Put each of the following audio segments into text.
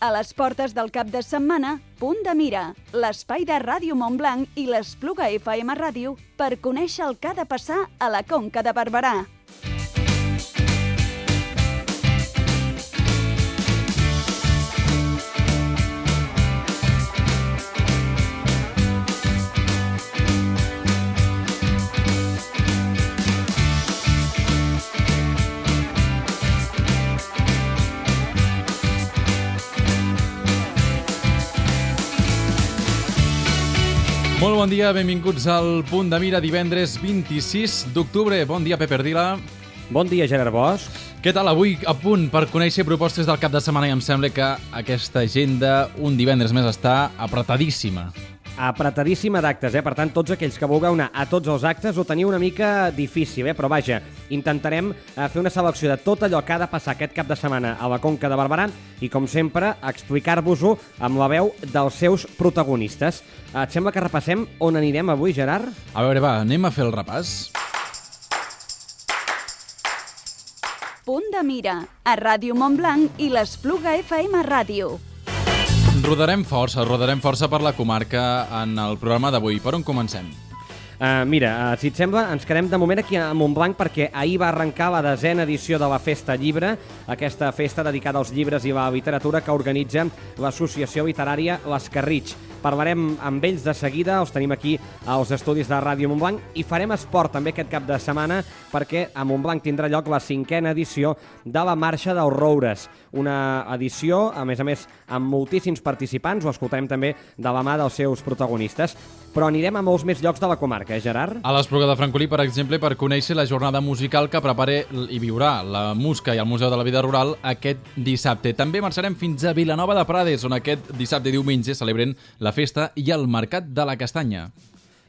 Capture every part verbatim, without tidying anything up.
A les portes del cap de setmana, Punt de Mira, l'espai de Ràdio Montblanc i l'Espluga F M Ràdio per conèixer el que ha de passar a la Conca de Barberà. Molt bon dia, benvinguts al Punt de Mira, divendres vint-i-sis d'octubre. Bon dia, Pep Ardila. Bon dia, Gerard Bosch. Què tal avui? A punt per conèixer propostes del cap de setmana i em sembla que aquesta agenda un divendres més està apretadíssima. Apretadíssima d'actes, eh? Per tant, tots aquells que vulgueu anar a tots els actes ho teniu una mica difícil, eh? Però vaja, intentarem fer una selecció de tot allò que ha de passar aquest cap de setmana a la Conca de Barberà i, com sempre, explicar-vos-ho amb la veu dels seus protagonistes. Et sembla que repassem on anirem avui, Gerard? A veure, va, anem a fer el repàs. Punt de Mira, a Ràdio Montblanc i l'Espluga F M Ràdio. Rodarem força, rodarem força per la comarca en el programa d'avui. Per on comencem? Uh, mira, uh, si et sembla, ens quedem de moment aquí a Montblanc perquè ahir va arrencar la desena edició de la Festa Llibre, aquesta festa dedicada als llibres i la literatura que organitza l'associació literària l'Escarritx. Parlarem amb ells de seguida, els tenim aquí als estudis de Ràdio Montblanc i farem esport també aquest cap de setmana perquè a Montblanc tindrà lloc la cinquena edició de la Marxa dels Roures, una edició, a més a més, amb moltíssims participants, ho escoltarem també de la mà dels seus protagonistes, però anirem a molts més llocs de la comarca, eh, Gerard? A l'Espluga de Francolí, per exemple, per conèixer la jornada musical que prepara i viurà la Musca i el Museu de la Vida Rural aquest dissabte. També marxarem fins a Vilanova de Prades, on aquest dissabte i diumenge celebren la festa i el Mercat de la Castanya.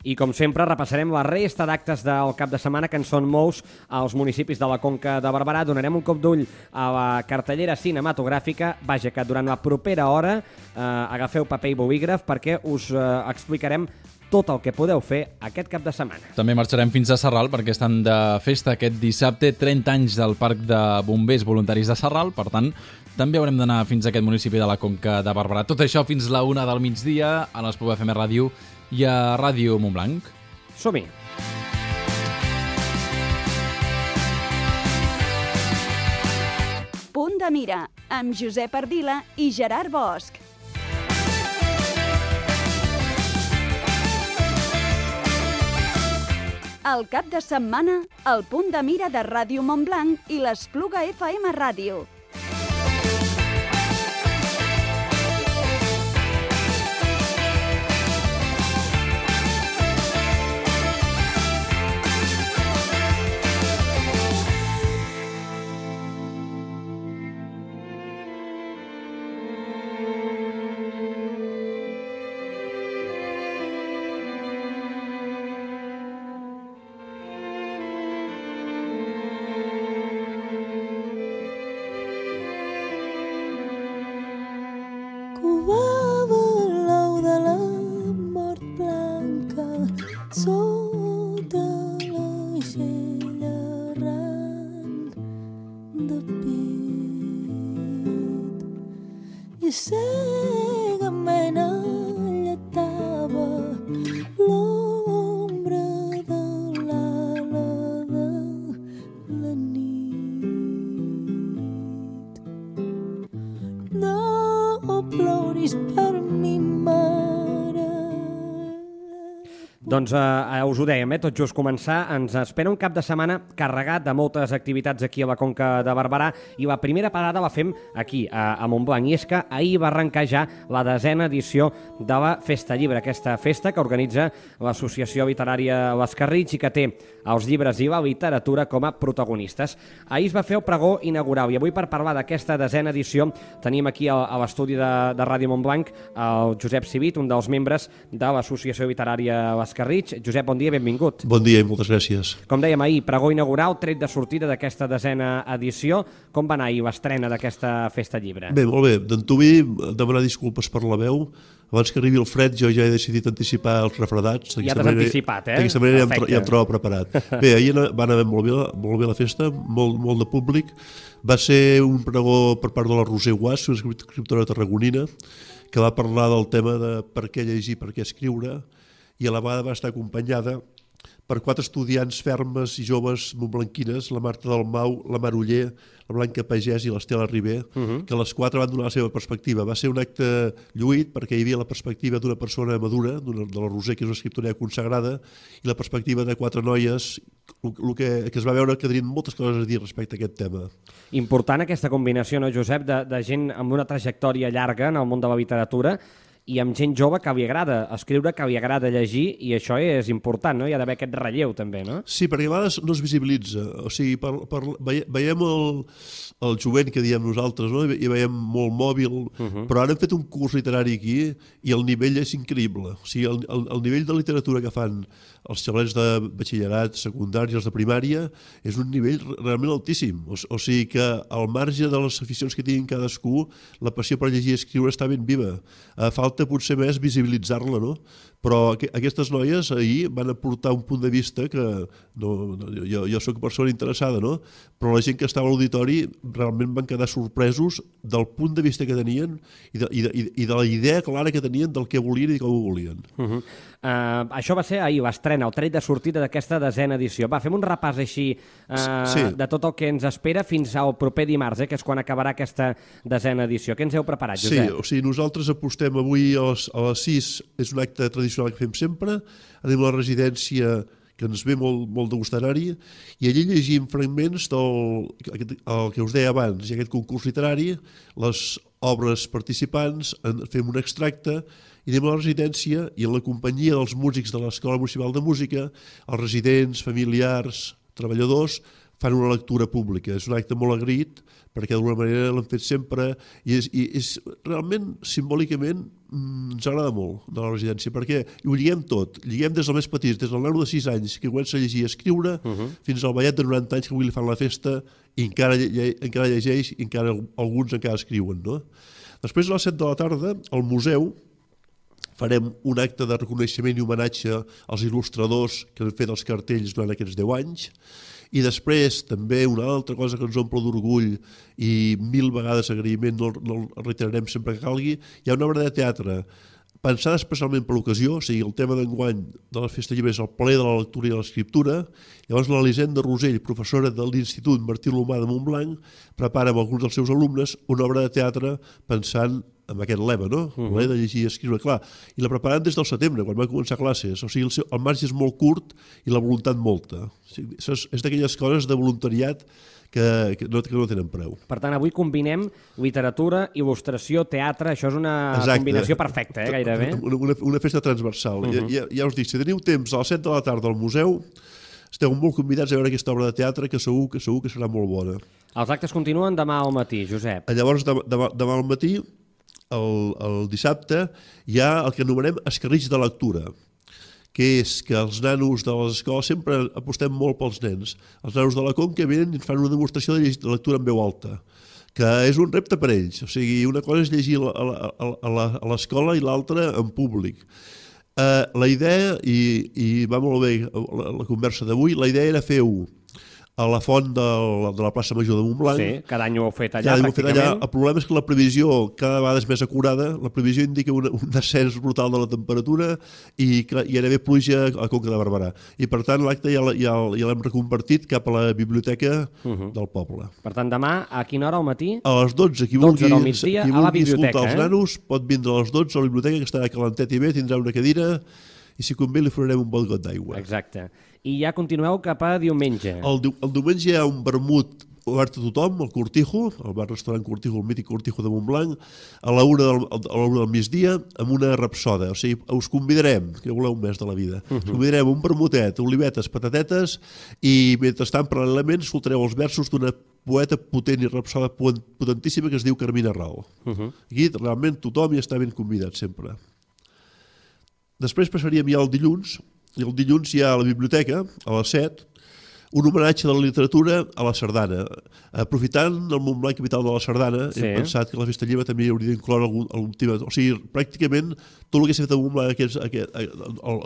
I, com sempre, repassarem la resta d'actes del cap de setmana, que en són molts als municipis de la Conca de Barberà. Donarem un cop d'ull a la cartellera cinematogràfica. Vaja, que durant la propera hora eh, agafeu paper i bolígraf perquè us eh, explicarem tot el que podeu fer aquest cap de setmana. També marxarem fins a Sarral perquè estan de festa aquest dissabte, trenta anys del Parc de Bombers Voluntaris de Sarral, per tant, també haurem d'anar fins a aquest municipi de la Conca de Barberà. Tot això fins la una del migdia a l'Espluga F M Ràdio i a Ràdio Montblanc. Som-hi! Punt de Mira, amb Josep Ardila i Gerard Bosch. El cap de setmana, el Punt de Mira de Ràdio Montblanc i l'Espluga F M Ràdio. Doncs eh, us ho dèiem, eh, tot just començar, ens espera un cap de setmana carregat de moltes activitats aquí a la Conca de Barberà i la primera parada la fem aquí, a, a Montblanc, i és que ahir va arrencar ja la desena edició de la Festa Llibre, aquesta festa que organitza l'associació literària l'Escarritx i que té els llibres i la literatura com a protagonistes. Ahir es va fer el pregó inaugural i avui, per parlar d'aquesta desena edició, tenim aquí a, a l'estudi de, de Ràdio Montblanc el Josep Civit, un dels membres de l'associació literària l'Escarritx. Josep, bon dia, benvingut. Bon dia i moltes gràcies. Com dèiem ahir, pregó inaugural, tret de sortida d'aquesta desena edició. Com va anar ahir l'estrena d'aquesta Festa Llibre? Bé, molt bé. D'antuvi, demanar disculpes per la veu. abans que arribi el fred jo ja he decidit anticipar els refredats. Ja t'has anticipat, eh? D'aquesta manera ja em, ja em trobo preparat. Bé, ahir va anar molt bé, molt bé la festa, molt, molt de públic. Va ser un pregó per part de la Roser Guas, una escriptora tarragonina, que va parlar del tema de per què llegir, per què escriure, i a la vegada va estar acompanyada per quatre estudiants fermes i joves montblanquines, la Marta Dalmau, la Mar Oller, la Blanca Pagès i l'Estela Ribé, uh-huh. que les quatre van donar la seva perspectiva. Va ser un acte lluït perquè hi havia la perspectiva d'una persona madura, de la Roser, que és una escriptora consagrada, i la perspectiva de quatre noies, el que, que es va veure que tenien moltes coses a dir respecte a aquest tema. Important aquesta combinació, no, Josep, de, de gent amb una trajectòria llarga en el món de la literatura i amb gent jove que li agrada escriure, que li agrada llegir, i això és important, no? Hi ha d'haver aquest relleu també, no? Sí, perquè a vegades no es visibilitza. O sigui, per, per, veiem el, el jovent que diem nosaltres, no? I veiem molt mòbil, uh-huh. però ara hem fet un curs literari aquí i el nivell és increïble. O sigui, el, el, el nivell de literatura que fan els xavalets de batxillerat, secundari i els de primària és un nivell realment altíssim. O, o sigui que al marge de les aficions que tinguin cadascú, la passió per llegir i escriure està ben viva. Uh, falta potser més visibilitzar-la, no? Però aquestes noies ahir van aportar un punt de vista que no, no, jo, jo soc persona interessada, no? Però la gent que estava a l'auditori realment van quedar sorpresos del punt de vista que tenien i de, i de, i de la idea clara que tenien del que volien i com ho volien. Uh-huh. uh, això va ser ahir, l'estrena, el tret de sortida d'aquesta desena edició. Va, fem un repàs així uh, sí. de tot el que ens espera fins al proper dimarts, eh, que és quan acabarà aquesta desena edició. Què ens heu preparat, Josep? Sí, o sigui, nosaltres apostem avui a les, a les sis, és un acte tradicional que fem sempre, anem a la residència que ens ve molt, molt de gust anar-hi, i allí llegim fragments del el que us deia abans, i aquest concurs literari, les obres participants, en, fem un extracte, i anem a la residència i en la companyia dels músics de l'Escola Municipal de Música, els residents, familiars, treballadors, fan una lectura pública. És un acte molt agraït, perquè d'alguna manera l'hem fet sempre, i és, i és realment, simbòlicament, ens agrada molt de la residència, perquè ho lliguem tot, lliguem des del més petit, des del nano de sis anys que comença a llegir i a escriure, uh-huh. fins al vellet de noranta anys que avui li fan la festa i encara, lle encara llegeix i encara alguns encara escriuen, no? Després a les set de la tarda, al museu, farem un acte de reconeixement i homenatge als il·lustradors que han fet els cartells durant aquests deu anys, i després també una altra cosa que ens omple d'orgull i mil vegades agraïment, no, no el reiterarem sempre que calgui, hi ha una obra de teatre pensada especialment per l'ocasió, o sigui, el tema d'enguany de la Festa Llibre és el ple de la lectura i de l'escriptura. Llavors l'Elisenda Rosell, professora de l'Institut Martí Lomà de Montblanc, prepara amb alguns dels seus alumnes una obra de teatre pensant amb aquest lema, no? Uh-huh. De llegir i escriure, clar. I la preparen des del setembre, quan van començar classes. O sigui, el, seu, el marge és molt curt i la voluntat molta. O sigui, és és d'aquelles coses de voluntariat que, que, no, que no tenen preu. Per tant, avui combinem literatura, il·lustració, teatre, això és una Exacte. Combinació perfecta, eh, gairebé. Una, una, una festa transversal. Uh-huh. ja, ja us dic, si teniu temps a les set de la tarda al museu, esteu molt convidats a veure aquesta obra de teatre que segur que, segur que serà molt bona. Els actes continuen demà al matí, Josep. Llavors, demà, demà, demà al matí, el, el dissabte, hi ha el que anomenem escarritx de lectura, que és que els nanos de les escoles sempre apostem molt pels nens. Els nanos de la Conca venen i fan una demostració de lectura en veu alta, que és un repte per ells. O sigui, una cosa és llegir a l'escola i l'altra en públic. Uh, la idea, i, i va molt bé la, la conversa d'avui, la idea era fer-ho a la font de la, de la plaça Major de Montblanc. Sí, cada any ho heu fet allà, cada pràcticament. Fet allà. El problema és que la previsió cada vegada és més acurada, la previsió indica un, un descens brutal de la temperatura i que hi ha d'haver pluja a Conca de Barberà. I per tant l'acte ja, ja, ja l'hem reconvertit cap a la biblioteca uh-huh. del poble. Per tant, demà a quina hora al matí? A les dotze, qui vulgui, migdia, qui vulgui escoltar els eh? nanos pot vindre a les dotze a la biblioteca, que estarà calentet i bé, tindrà una cadira i si convé li farem un bon got d'aigua. Exacte. I ja continueu cap a diumenge. El, el diumenge hi ha un vermut obert a tothom, el Cortijo, el bar-restaurant Cortijo, el mític Cortijo de Montblanc, a la una del, a la una del migdia, amb una rapsoda. O sigui, us convidarem, que voleu un mes de la vida, uh-huh. us convidarem un vermutet, olivetes, patatetes, i mentrestant, paral·lelament, escoltareu els versos d'una poeta potent i rapsoda potentíssima que es diu Carmina Rao. Uh-huh. Aquí, realment, tothom hi està ben convidat, sempre. Després passaríem ja al dilluns, i el dilluns hi ha a la biblioteca, a les set, un homenatge de la literatura a la sardana. Aprofitant el Montblanc capital de la sardana, sí. Hem pensat que la Festa Lliure també hauria d'incloure algun, algun tema. O sigui, pràcticament tot el que s'ha fet a Montblanc aquest, aquest,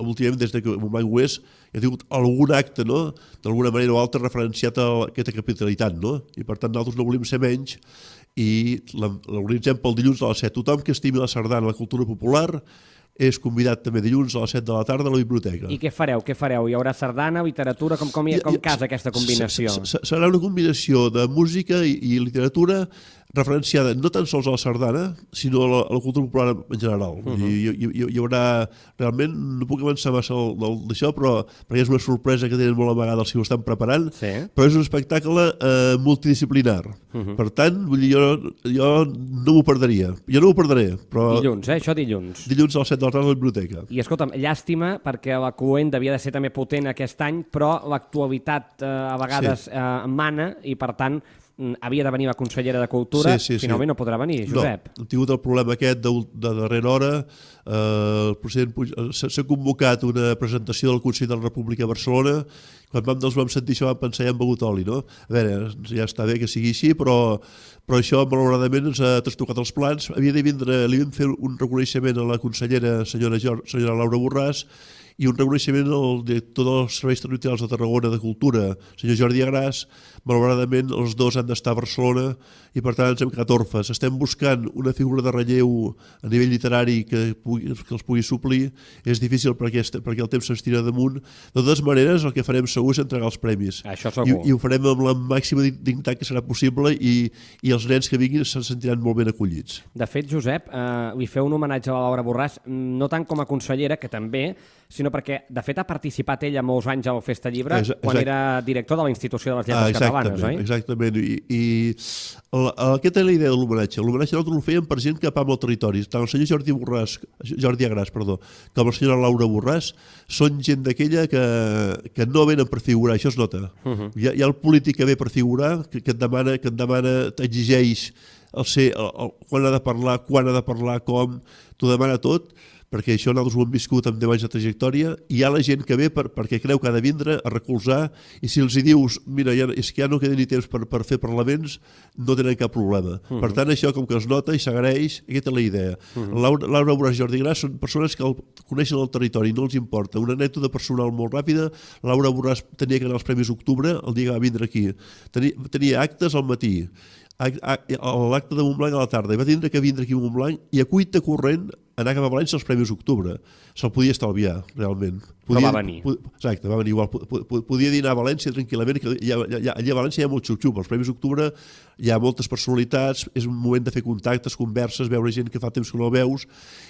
últimament des que Montblanc ho és, ha tingut algun acte, no?, d'alguna manera o altra referenciat a aquesta capitalitat, no? I per tant nosaltres no volem ser menys i l'organitzem pel dilluns a les set. Tothom que estimi la sardana, la cultura popular, és convidat també dilluns a les set de la tarda a la biblioteca. I què fareu? Què fareu? Hi haurà sardana, literatura? Com, com, com casa aquesta combinació? Serà una combinació de música i, i literatura referenciada no tan sols a la sardana, sinó a la, a la cultura popular en general. Uh -huh. I, hi, hi, hi haurà, realment, no puc avançar massa d'això, però perquè és una sorpresa que tenen molt amagada si ho estan preparant, sí. Però és un espectacle eh, multidisciplinar. Uh -huh. Per tant, vull dir, jo, jo no m'ho perdria. Jo no m'ho perdré. Però dilluns, eh? Això dilluns. Dilluns a les set de la tarda a la biblioteca. I escolta'm, llàstima, perquè la Cluent devia de ser també potent aquest any, però l'actualitat eh, a vegades sí. eh, mana i, per tant, havia de venir la consellera de Cultura, sí, sí, finalment sí. No podrà venir, Josep. No, hem tingut el problema aquest de, de darrera hora. Eh, el president s'ha convocat una presentació del Consell de la República a Barcelona. Quan vam, doncs, vam sentir això vam pensar ja hem begut oli, no? A veure, ja està bé que sigui així, però, però això malauradament ens ha trastocat els plans. Havia de vindre, li vam fer un reconeixement a la consellera senyora, senyora Laura Borràs i un reconeixement al director dels Serveis Territorials de Tarragona de Cultura, senyor Jordi Agràs. Malauradament els dos han d'estar a Barcelona i per tant ens hem quedat orfes. Estem buscant una figura de relleu a nivell literari que, pugui, que els pugui suplir. És difícil perquè, perquè el temps se'ns tira damunt. De totes maneres, el que farem segur és entregar els premis. Això segur. I, i ho farem amb la màxima dignitat que serà possible i, i els nens que vinguin se sentiran molt ben acollits. De fet, Josep, eh, li feu un homenatge a la Laura Borràs, no tant com a consellera, que també, sinó perquè, de fet, ha participat ella molts anys a la Festa Llibre Exacte. quan era director de la Institució de les Lletres ah, Catalanes, oi? Exactament, i, i la, aquesta és la idea de l'homenatge. L'homenatge nosaltres ho fèiem per gent que pama el territori. Tant el senyor Jordi Borràs, Jordi Agràs, perdó, com la senyora Laura Borràs, són gent d'aquella que, que no venen per figurar, això es nota. Uh -huh. hi, ha, hi ha el polític que ve per figurar, que, que et demana, que et demana, t'exigeix el ser, el, el, quan ha de parlar, quan ha de parlar, com, t'ho demana tot, perquè això nosaltres ho hem viscut amb deu anys de trajectòria, i hi ha la gent que ve per, perquè creu que ha de vindre a recolzar, i si els hi dius, mira, ja, és que ja no queda ni temps per, per fer parlaments, no tenen cap problema. Uh -huh. Per tant, això com que es nota i s'agraeix, aquesta és la idea. Uh -huh. Laura, Laura Borràs i Jordi Gràs són persones que el, coneixen el territori, no els importa. Una anècdota personal molt ràpida, Laura Borràs tenia que anar als Premis Octubre el dia que va vindre aquí. Tenia, tenia actes al matí, l'acte de Montblanc a la tarda, i va tindre que vindre aquí a Montblanc i a cuita corrent anar cap a València als Premis Octubre. Se'l podia estalviar, realment. Podia, Però va venir. Pod, exacte, va venir igual. Podia dinar a València tranquil·lament, que ja, ja, allà a València hi ha molt xup-xup. Als Premis Octubre hi ha moltes personalitats, és un moment de fer contactes, converses, veure gent que fa temps que no veus,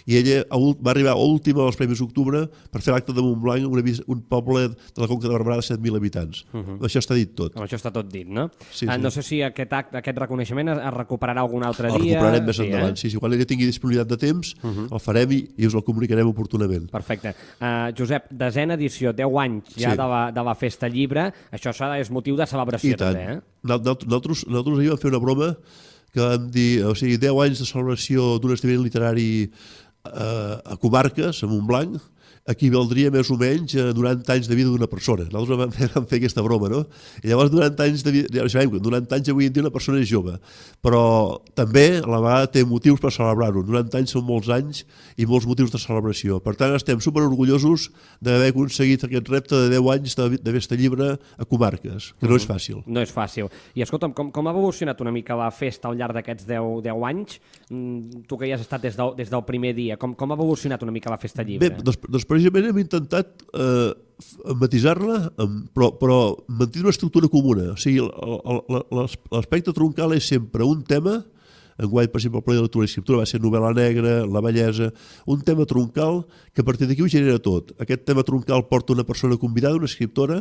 i ella va arribar última als Premis Octubre per fer l'acte de Montblanc, una, un poble de la Conca de Barberà de set mil habitants. Uh -huh. Això està dit tot. Amb això està tot dit, no? Sí, ah, sí. No sé si aquest acte, aquest reconeixement es recuperarà algun altre el dia. El recuperarem més sí, endavant, eh? sí, sí. Quan ella tingui disponibilitat de temps, uh -huh. el farem i, i us el comunicarem oportunament. Perfecte. Uh, Josep, desena edició, deu anys ja sí. de, la, de la Festa Llibre, això és motiu de celebració també, eh? Nosaltres, nosaltres ahir vam fer una broma que vam dir, o sigui, deu anys de celebració d'un esdeveniment literari eh, a comarques, a Montblanc, equivaldria més o menys a noranta anys de vida d'una persona. Nosaltres vam fer, vam fer aquesta broma, no? I llavors noranta anys de vida, ja sabem que noranta anys avui en dia una persona és jove, però també a la vegada té motius per celebrar-ho. noranta anys són molts anys i molts motius de celebració. Per tant, estem superorgullosos d'haver aconseguit aquest repte de deu anys de, de Festa Llibre a comarques, que no és fàcil. No és fàcil. I escolta'm, com, com ha evolucionat una mica la festa al llarg d'aquests deu, deu anys? Tu que hi has estat des del, des del primer dia, com, com ha evolucionat una mica la Festa Llibre? Bé, doncs, doncs precisament hem intentat eh, matisar-la, però, però mantenir una estructura comuna. O sigui, l'aspecte troncal és sempre un tema. Enguany, per exemple, el ple de lectura i escriptura va ser novel·la negra, la bellesa, un tema troncal que a partir d'aquí ho genera tot. Aquest tema troncal porta una persona convidada, una escriptora,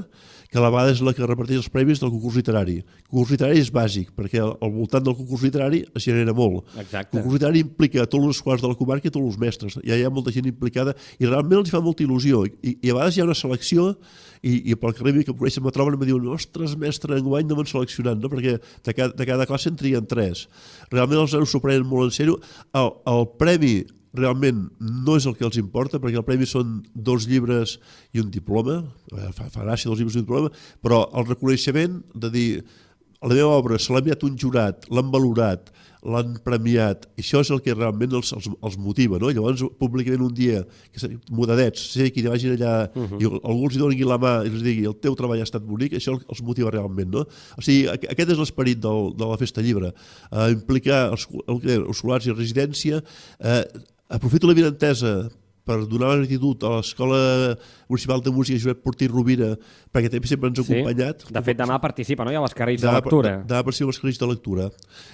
que a la vegada és la que reparteix els premis del concurs literari. El concurs literari és bàsic, perquè al voltant del concurs literari es genera molt. Exacte. El concurs literari implica tots els escolars de la comarca i tots els mestres. Ja hi ha molta gent implicada i realment els fa molta il·lusió. I, i a vegades hi ha una selecció i, i pel carrer que coneixen me troben i me diuen ostres, mestre, enguany no m'han seleccionat, no? Perquè de cada, de cada classe en trien tres. Realment els nanos s'ho prenen molt en sèrio. El, el premi realment no és el que els importa, perquè el premi són dos llibres i un diploma, fa, fa gràcia dos llibres i un diploma, però el reconeixement de dir la meva obra se l'ha enviat un jurat, l'han valorat, l'han premiat, i això és el que realment els, els, els motiva, no? Llavors, públicament un dia, que modadets, sé que hi vagin allà uh -huh. i algú els doni la mà i els digui el teu treball ha estat bonic, això els motiva realment, no? O sigui, aquest és l'esperit de la Festa Llibre, eh, implicar els, els escolars i residència, eh, aprofito la vinentesa per donar la gratitud a l'Escola Municipal de Música Josep Portí Rovira, perquè també sempre ens ha sí. acompanyat. De fet, demà participa, no?, hi ha les carrils de lectura. Demà participa les carrils de lectura.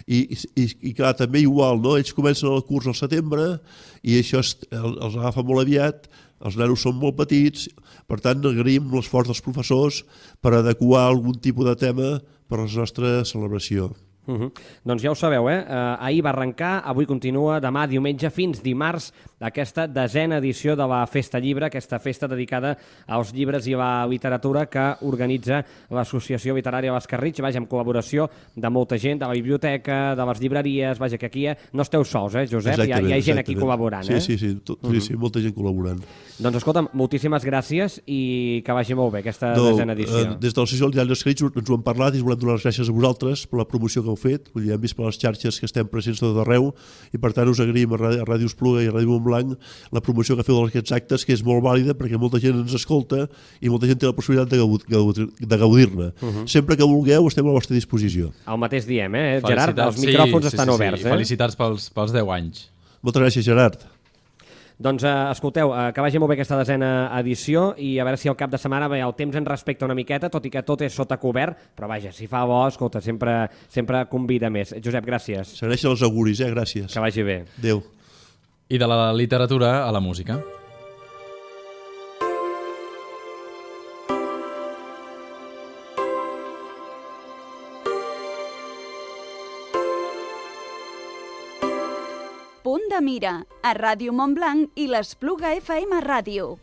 I, i, i clar, també igual, no? Ells comencen el curs al setembre i això es, els agafa molt aviat, els nanos són molt petits, per tant, agraïm l'esforç dels professors per adequar algun tipus de tema per a la nostra celebració. Uh -huh. Doncs ja ho sabeu, eh? Uh, ahir va arrencar, avui continua, demà diumenge fins dimarts aquesta desena edició de la Festa Llibre, aquesta festa dedicada als llibres i a la literatura que organitza l'Associació Literària Bascarritx, vaja, amb col·laboració de molta gent, de la biblioteca, de les llibreries, vaja, que aquí no esteu sols, eh, Josep? Hi ha, hi ha gent aquí col·laborant, sí, eh? Sí, sí, tot, uh -huh. sí, sí, molta gent col·laborant. Doncs escolta'm, moltíssimes gràcies i que vagi molt bé aquesta no, desena edició. Eh, des de l'Associació Literària Bascarritx ens ho hem parlat i us volem donar les gràcies a vosaltres per la promoció que heu fet. Vull dir, hem vist per les xarxes que estem presents tot arreu i per tant us agraïm a Ràdio Espluga i a Ràdio Montblanc la promoció que feu d'aquests actes, que és molt vàlida perquè molta gent ens escolta i molta gent té la possibilitat de, gaudir, de gaudir-ne. Uh -huh. Sempre que vulgueu estem a la vostra disposició. El mateix diem, eh, Gerard? Els micròfons sí, estan sí, sí, oberts. Sí. Eh? Felicitats pels, pels deu anys. Moltes gràcies, Gerard. Doncs eh, escolteu, eh, que vagi molt bé aquesta desena edició i a veure si al cap de setmana bé, el temps ens respecta una miqueta, tot i que tot és sota cobert, però vaja, si fa bo, escolta, sempre, sempre convida més. Josep, gràcies. S'agraeixen els auguris, eh? Gràcies. Que vagi bé. Adéu. I de la literatura a la música. Punt de mira, a Ràdio Montblanc i l'Espluga F M Ràdio.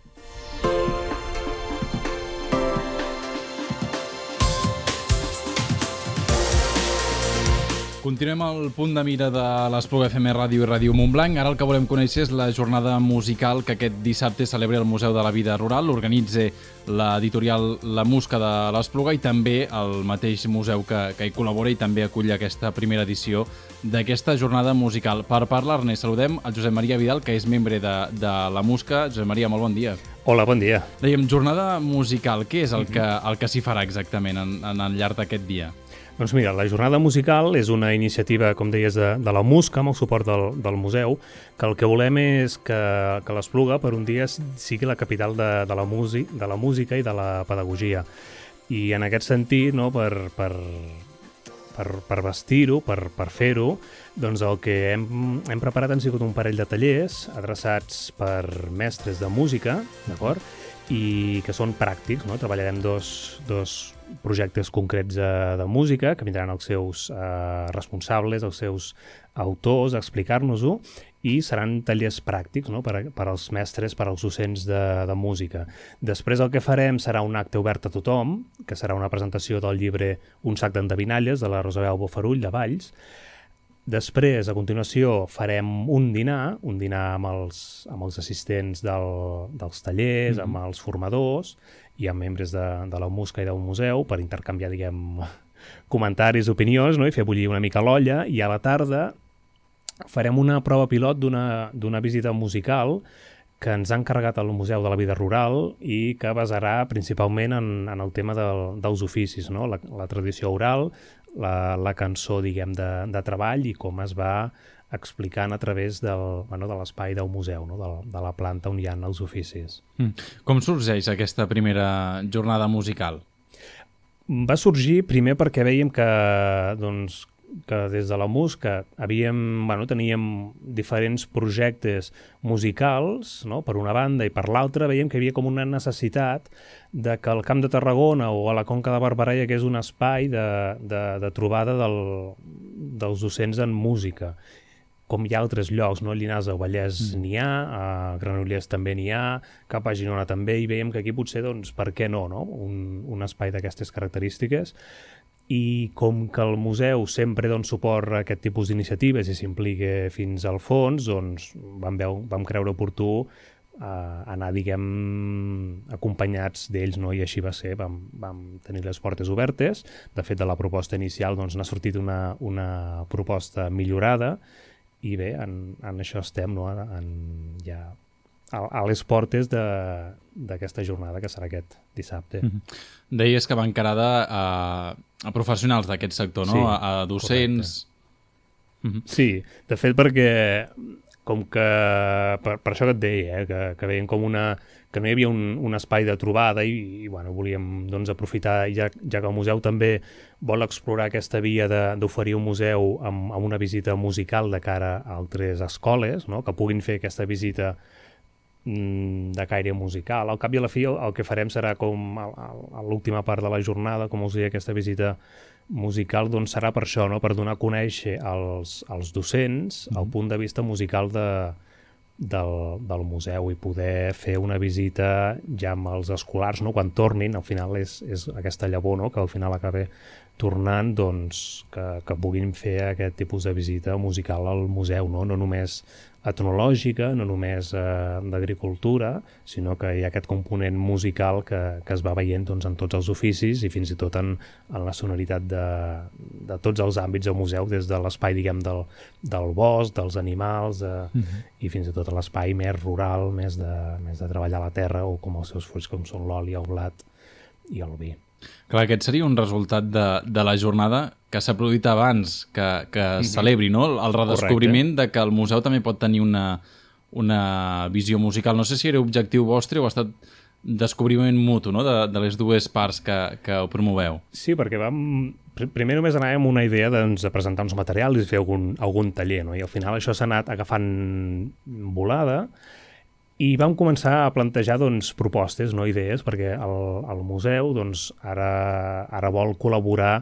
Continuem al punt de mira de l'Espluga F M Ràdio i Ràdio Montblanc. Ara el que volem conèixer és la jornada musical que aquest dissabte celebra el Museu de la Vida Rural, l'organitza l'editorial La Musca de l'Espluga i també el mateix museu que, que hi col·labora i també acull aquesta primera edició d'aquesta jornada musical. Per parlar-ne saludem el Josep Maria Vidal, que és membre de, de La Musca. Josep Maria, molt bon dia. Hola, bon dia. Dèiem, jornada musical, què és el que, el que s'hi farà exactament en, en el llarg d'aquest dia? Doncs mira, la jornada musical és una iniciativa, com deies, de, de la Musca, amb el suport del, del museu, que el que volem és que, que l'Espluga per un dia sigui la capital de, de, la músic, de la música i de la pedagogia. I en aquest sentit, no, per, per, per, per vestir-ho, per, per fer-ho, doncs el que hem, hem preparat han sigut un parell de tallers adreçats per mestres de música, d'acord? I que són pràctics, no? Treballarem dos, dos projectes concrets de, de música que vindran els seus eh, responsables, els seus autors a explicar-nos-ho i seran tallers pràctics, no? per, per als mestres, per als docents de, de música. Després el que farem serà un acte obert a tothom, que serà una presentació del llibre Un sac d'endevinalles de la Rosabel Bofarull de Valls. Després, a continuació, farem un dinar, un dinar amb els, amb els assistents del, dels tallers, mm-hmm. amb els formadors i amb membres de, de la Musca i del museu per intercanviar, diguem, comentaris, opinions, no? I fer bullir una mica l'olla. I a la tarda farem una prova pilot d'una d'una visita musical que ens ha encarregat el Museu de la Vida Rural i que basarà principalment en, en el tema del, dels oficis, no? La, la tradició oral, la, la cançó, diguem, de, de treball i com es va explicant a través del, bueno, de l'espai del museu, no? de, de la planta on hi ha els oficis. Mm. Com sorgeix aquesta primera jornada musical? Va sorgir primer perquè veiem que, doncs, que des de la Musca havíem, bueno, teníem diferents projectes musicals, no? Per una banda, i per l'altra veiem que hi havia com una necessitat de que al Camp de Tarragona o a la Conca de Barberà hi hagués un espai de, de, de trobada del, dels docents en música, com hi ha altres llocs, no? A Llinars del Vallès mm. n'hi ha, a Granollers també n'hi ha, cap a Girona també, i veiem que aquí potser, doncs, per què no, no? Un, un espai d'aquestes característiques. i com que el museu sempre dona suport a aquest tipus d'iniciatives i s'implica fins al fons, doncs vam, veu, vam creure oportú Uh, anar, diguem, acompanyats d'ells, no? I així va ser, vam, vam tenir les portes obertes. De fet, de la proposta inicial doncs, n'ha sortit una, una proposta millorada i bé, en, en això estem, no? en, ja a, a les portes d'aquesta jornada que serà aquest dissabte. Mm-hmm. Deies que va encarada a, a professionals d'aquest sector, no? Sí, a, a docents... Mm-hmm. Sí, de fet, perquè com que, per, per això que et deia, eh, que, que veiem com una, que no hi havia un, un espai de trobada i, i bueno, volíem doncs, aprofitar, ja, ja que el museu també vol explorar aquesta via d'oferir un museu amb, amb una visita musical de cara a altres escoles, no? Que puguin fer aquesta visita mm, de caire musical. Al cap i a la fi el, el que farem serà com a, a l'última part de la jornada, com us deia, aquesta visita musical, doncs serà per això, no? Per donar a conèixer als, als docents el punt de vista musical de, del, del museu i poder fer una visita ja amb els escolars, no? Quan tornin, al final és, és aquesta llavor, no? Que al final acaba tornant, doncs, que, que puguin fer aquest tipus de visita musical al museu, no? No només etnològica, no només eh, d'agricultura, sinó que hi ha aquest component musical que, que es va veient doncs, en tots els oficis i fins i tot en, en la sonoritat de, de tots els àmbits del museu, des de l'espai, diguem, del, del bosc, dels animals, de, uh-huh. i fins i tot l'espai més rural, més de, més de treballar la terra, o com els seus fruits, com són l'oli, el blat i el vi. Clar, aquest seria un resultat de, de la jornada que s'ha produït abans que, que es mm-hmm. celebri, no? El redescobriment Correcte. De que el museu també pot tenir una, una visió musical. No sé si era objectiu vostre o ha estat descobriment mutu, no? de, de les dues parts que, que ho promoveu. Sí, perquè vam... Primer només anàvem amb una idea doncs, de presentar uns materials i fer algun, algun taller, no? I al final això s'ha anat agafant volada. I vam començar a plantejar doncs, propostes, no idees, perquè el, el museu doncs, ara, ara vol col·laborar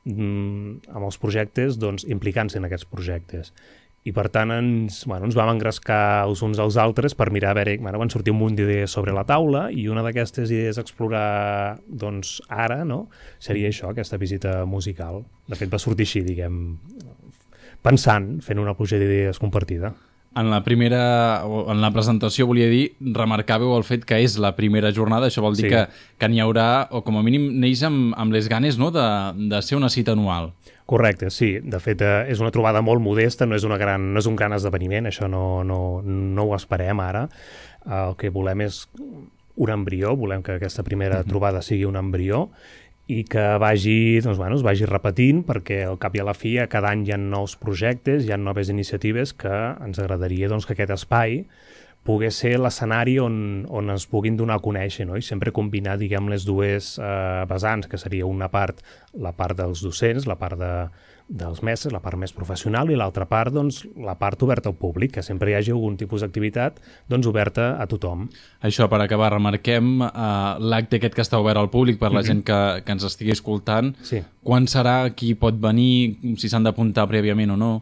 mm, amb els projectes doncs, implicant-se en aquests projectes. I per tant ens, bueno, ens vam engrescar els uns als altres per mirar a veure, bueno, van sortir un munt d'idees sobre la taula i una d'aquestes idees a explorar doncs, ara no? Seria això, aquesta visita musical. De fet va sortir així, diguem, pensant, fent una pluja d'idees compartida. En la primera, en la presentació, volia dir, remarcàveu el fet que és la primera jornada, això vol dir sí. que, que n'hi haurà, o com a mínim neix amb, amb les ganes, no?, de, de ser una cita anual. Correcte, sí. De fet, eh, és una trobada molt modesta, no és, una gran, no és un gran esdeveniment, això no, no, no ho esperem ara. Eh, el que volem és un embrió, volem que aquesta primera mm-hmm. trobada sigui un embrió, i que vagi, doncs, bueno, es vagi repetint perquè al cap i a la fi cada any hi ha nous projectes, hi ha noves iniciatives que ens agradaria doncs, que aquest espai pogués ser l'escenari on, on es puguin donar a conèixer, no? I sempre combinar, diguem, les dues eh, vessants, que seria una part, la part dels docents, la part de, dels mestres, la part més professional, i l'altra part, doncs, la part oberta al públic, que sempre hi hagi algun tipus d'activitat doncs, oberta a tothom. Això, per acabar, remarquem eh, l'acte aquest que està obert al públic per la mm-hmm. gent que, que ens estigui escoltant. Sí. Quan serà, qui pot venir, si s'han d'apuntar prèviament o no?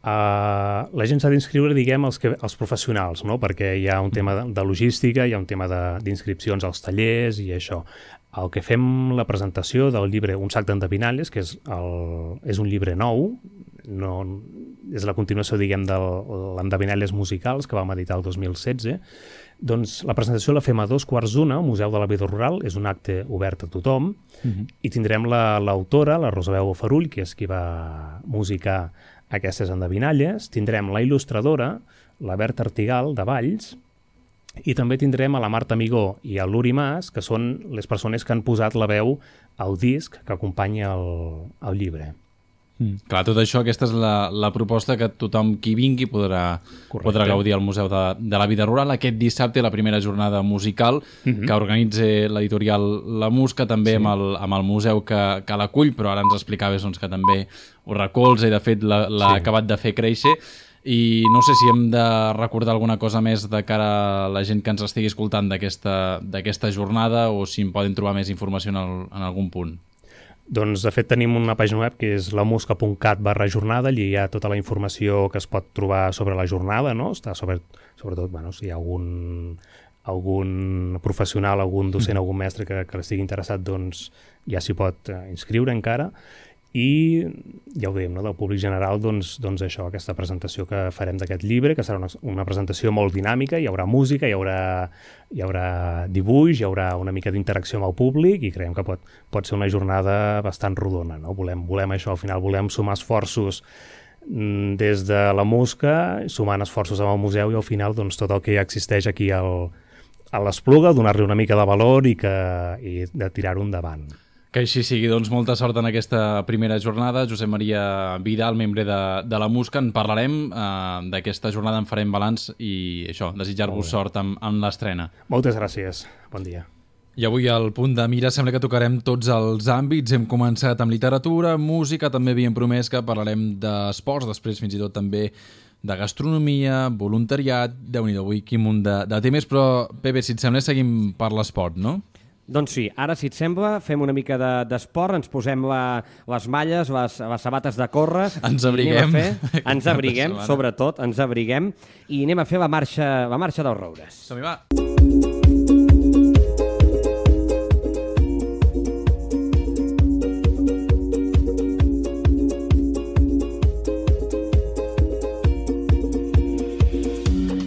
Uh, la gent s'ha d'inscriure, diguem, els, que, els professionals, no? Perquè hi ha un tema de, de logística, hi ha un tema d'inscripcions als tallers i això. El que fem la presentació del llibre Un sac d'endevinalles, que és, el, és un llibre nou, no, és la continuació, diguem, de l'endevinalles musicals que vam editar el dos mil setze, doncs la presentació la fem a dos quarts d'una al Museu de la Vida Rural, és un acte obert a tothom, uh-huh. i tindrem l'autora, la, la Rosabeu Farull, que és qui va musicar aquestes endevinalles, tindrem la il·lustradora, la Berta Artigal, de Valls, i també tindrem a la Marta Amigó i a l'Uri Mas, que són les persones que han posat la veu al disc que acompanya el, el llibre. Mm. Clar, tot això, aquesta és la, la proposta que tothom qui vingui podrà, podrà gaudir al Museu de, de la Vida Rural. Aquest dissabte, la primera jornada musical mm-hmm. que organitza l'editorial La Musca, també sí. amb, el, amb el museu que, que l'acull, però ara ens explicaves doncs, que també ho recolza i de fet l'ha sí. acabat de fer créixer. I no sé si hem de recordar alguna cosa més de cara a la gent que ens estigui escoltant d'aquesta jornada o si en poden trobar més informació en, el, en algun punt. Doncs, de fet, tenim una pàgina web que és lamusca.cat barra jornada, allí hi ha tota la informació que es pot trobar sobre la jornada, no? Està sobre, sobretot, bueno, si hi ha algun algun professional, algun docent, algun mestre que, que estigui interessat, doncs ja s'hi pot eh, inscriure encara. I ja ho dèiem, no? Del públic general, doncs, doncs això, aquesta presentació que farem d'aquest llibre, que serà una, una presentació molt dinàmica, hi haurà música, hi haurà, hi haurà dibuix, hi haurà una mica d'interacció amb el públic i creiem que pot, pot ser una jornada bastant rodona, no? Volem, volem això, al final volem sumar esforços des de la música, sumant esforços amb el museu i al final doncs, tot el que ja existeix aquí al, a l'Espluga, donar-li una mica de valor i, que, i de tirar-ho endavant. Que així sigui, doncs molta sort en aquesta primera jornada. Josep Maria Vidal, membre de, de la Musca, en parlarem eh, d'aquesta jornada, en farem balanç i això, desitjar-vos sort amb, amb l'estrena. Moltes gràcies, bon dia. I avui al Punt de Mira sembla que tocarem tots els àmbits. Hem començat amb literatura, música, també havíem promès que parlarem d'esports, després fins i tot també de gastronomia, voluntariat, déu-n'hi-do, avui quin munt de, de temes, però Pepe, si et sembla, seguim per l'esport, no? Doncs sí, ara, si et sembla, fem una mica d'esport, de, ens posem la, les malles, les, les sabates de córrer... Ens abriguem. Fer, ens abriguem, sobretot, ens abriguem, i anem a fer la marxa, la marxa dels roures. Som-hi, va!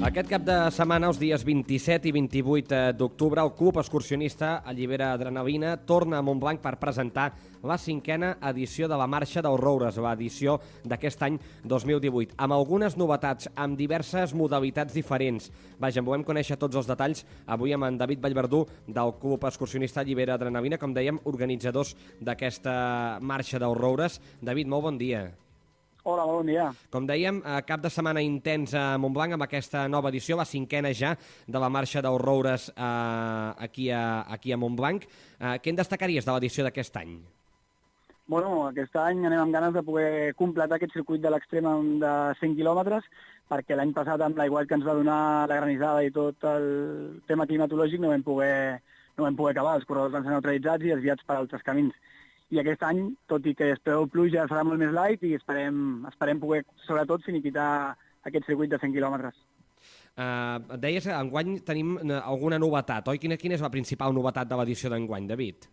Aquest cap de setmana, els dies vint-i-set i vint-i-vuit d'octubre, el Club Excursionista Allibera Adrenalina torna a Montblanc per presentar la cinquena edició de la Marxa dels Roures, l'edició d'aquest any dos mil divuit, amb algunes novetats, amb diverses modalitats diferents. Vaja, en volem conèixer tots els detalls avui amb en David Vallverdú del Club Excursionista Allibera Adrenalina, com dèiem, organitzadors d'aquesta Marxa dels Roures. David, molt bon dia. Hola, bon dia. Com dèiem, cap de setmana intens a Montblanc amb aquesta nova edició, la cinquena ja de la Marxa dels Roures eh, aquí, a, aquí a Montblanc. Eh, què en destacaries de l'edició d'aquest any? Bueno, aquest any anem amb ganes de poder completar aquest circuit de l'extrem de cent quilòmetres, perquè l'any passat amb l'aiguat que ens va donar la granissada i tot el tema climatològic no vam poder, no vam poder acabar, els corredors van ser neutralitzats i desviats per altres camins. I aquest any, tot i que es preveu pluja, serà molt més light i esperem, esperem poder, sobretot, finiquitar aquest circuit de cent quilòmetres. Uh, deies que enguany tenim alguna novetat, oi? Quina, quina és la principal novetat de l'edició d'enguany, David?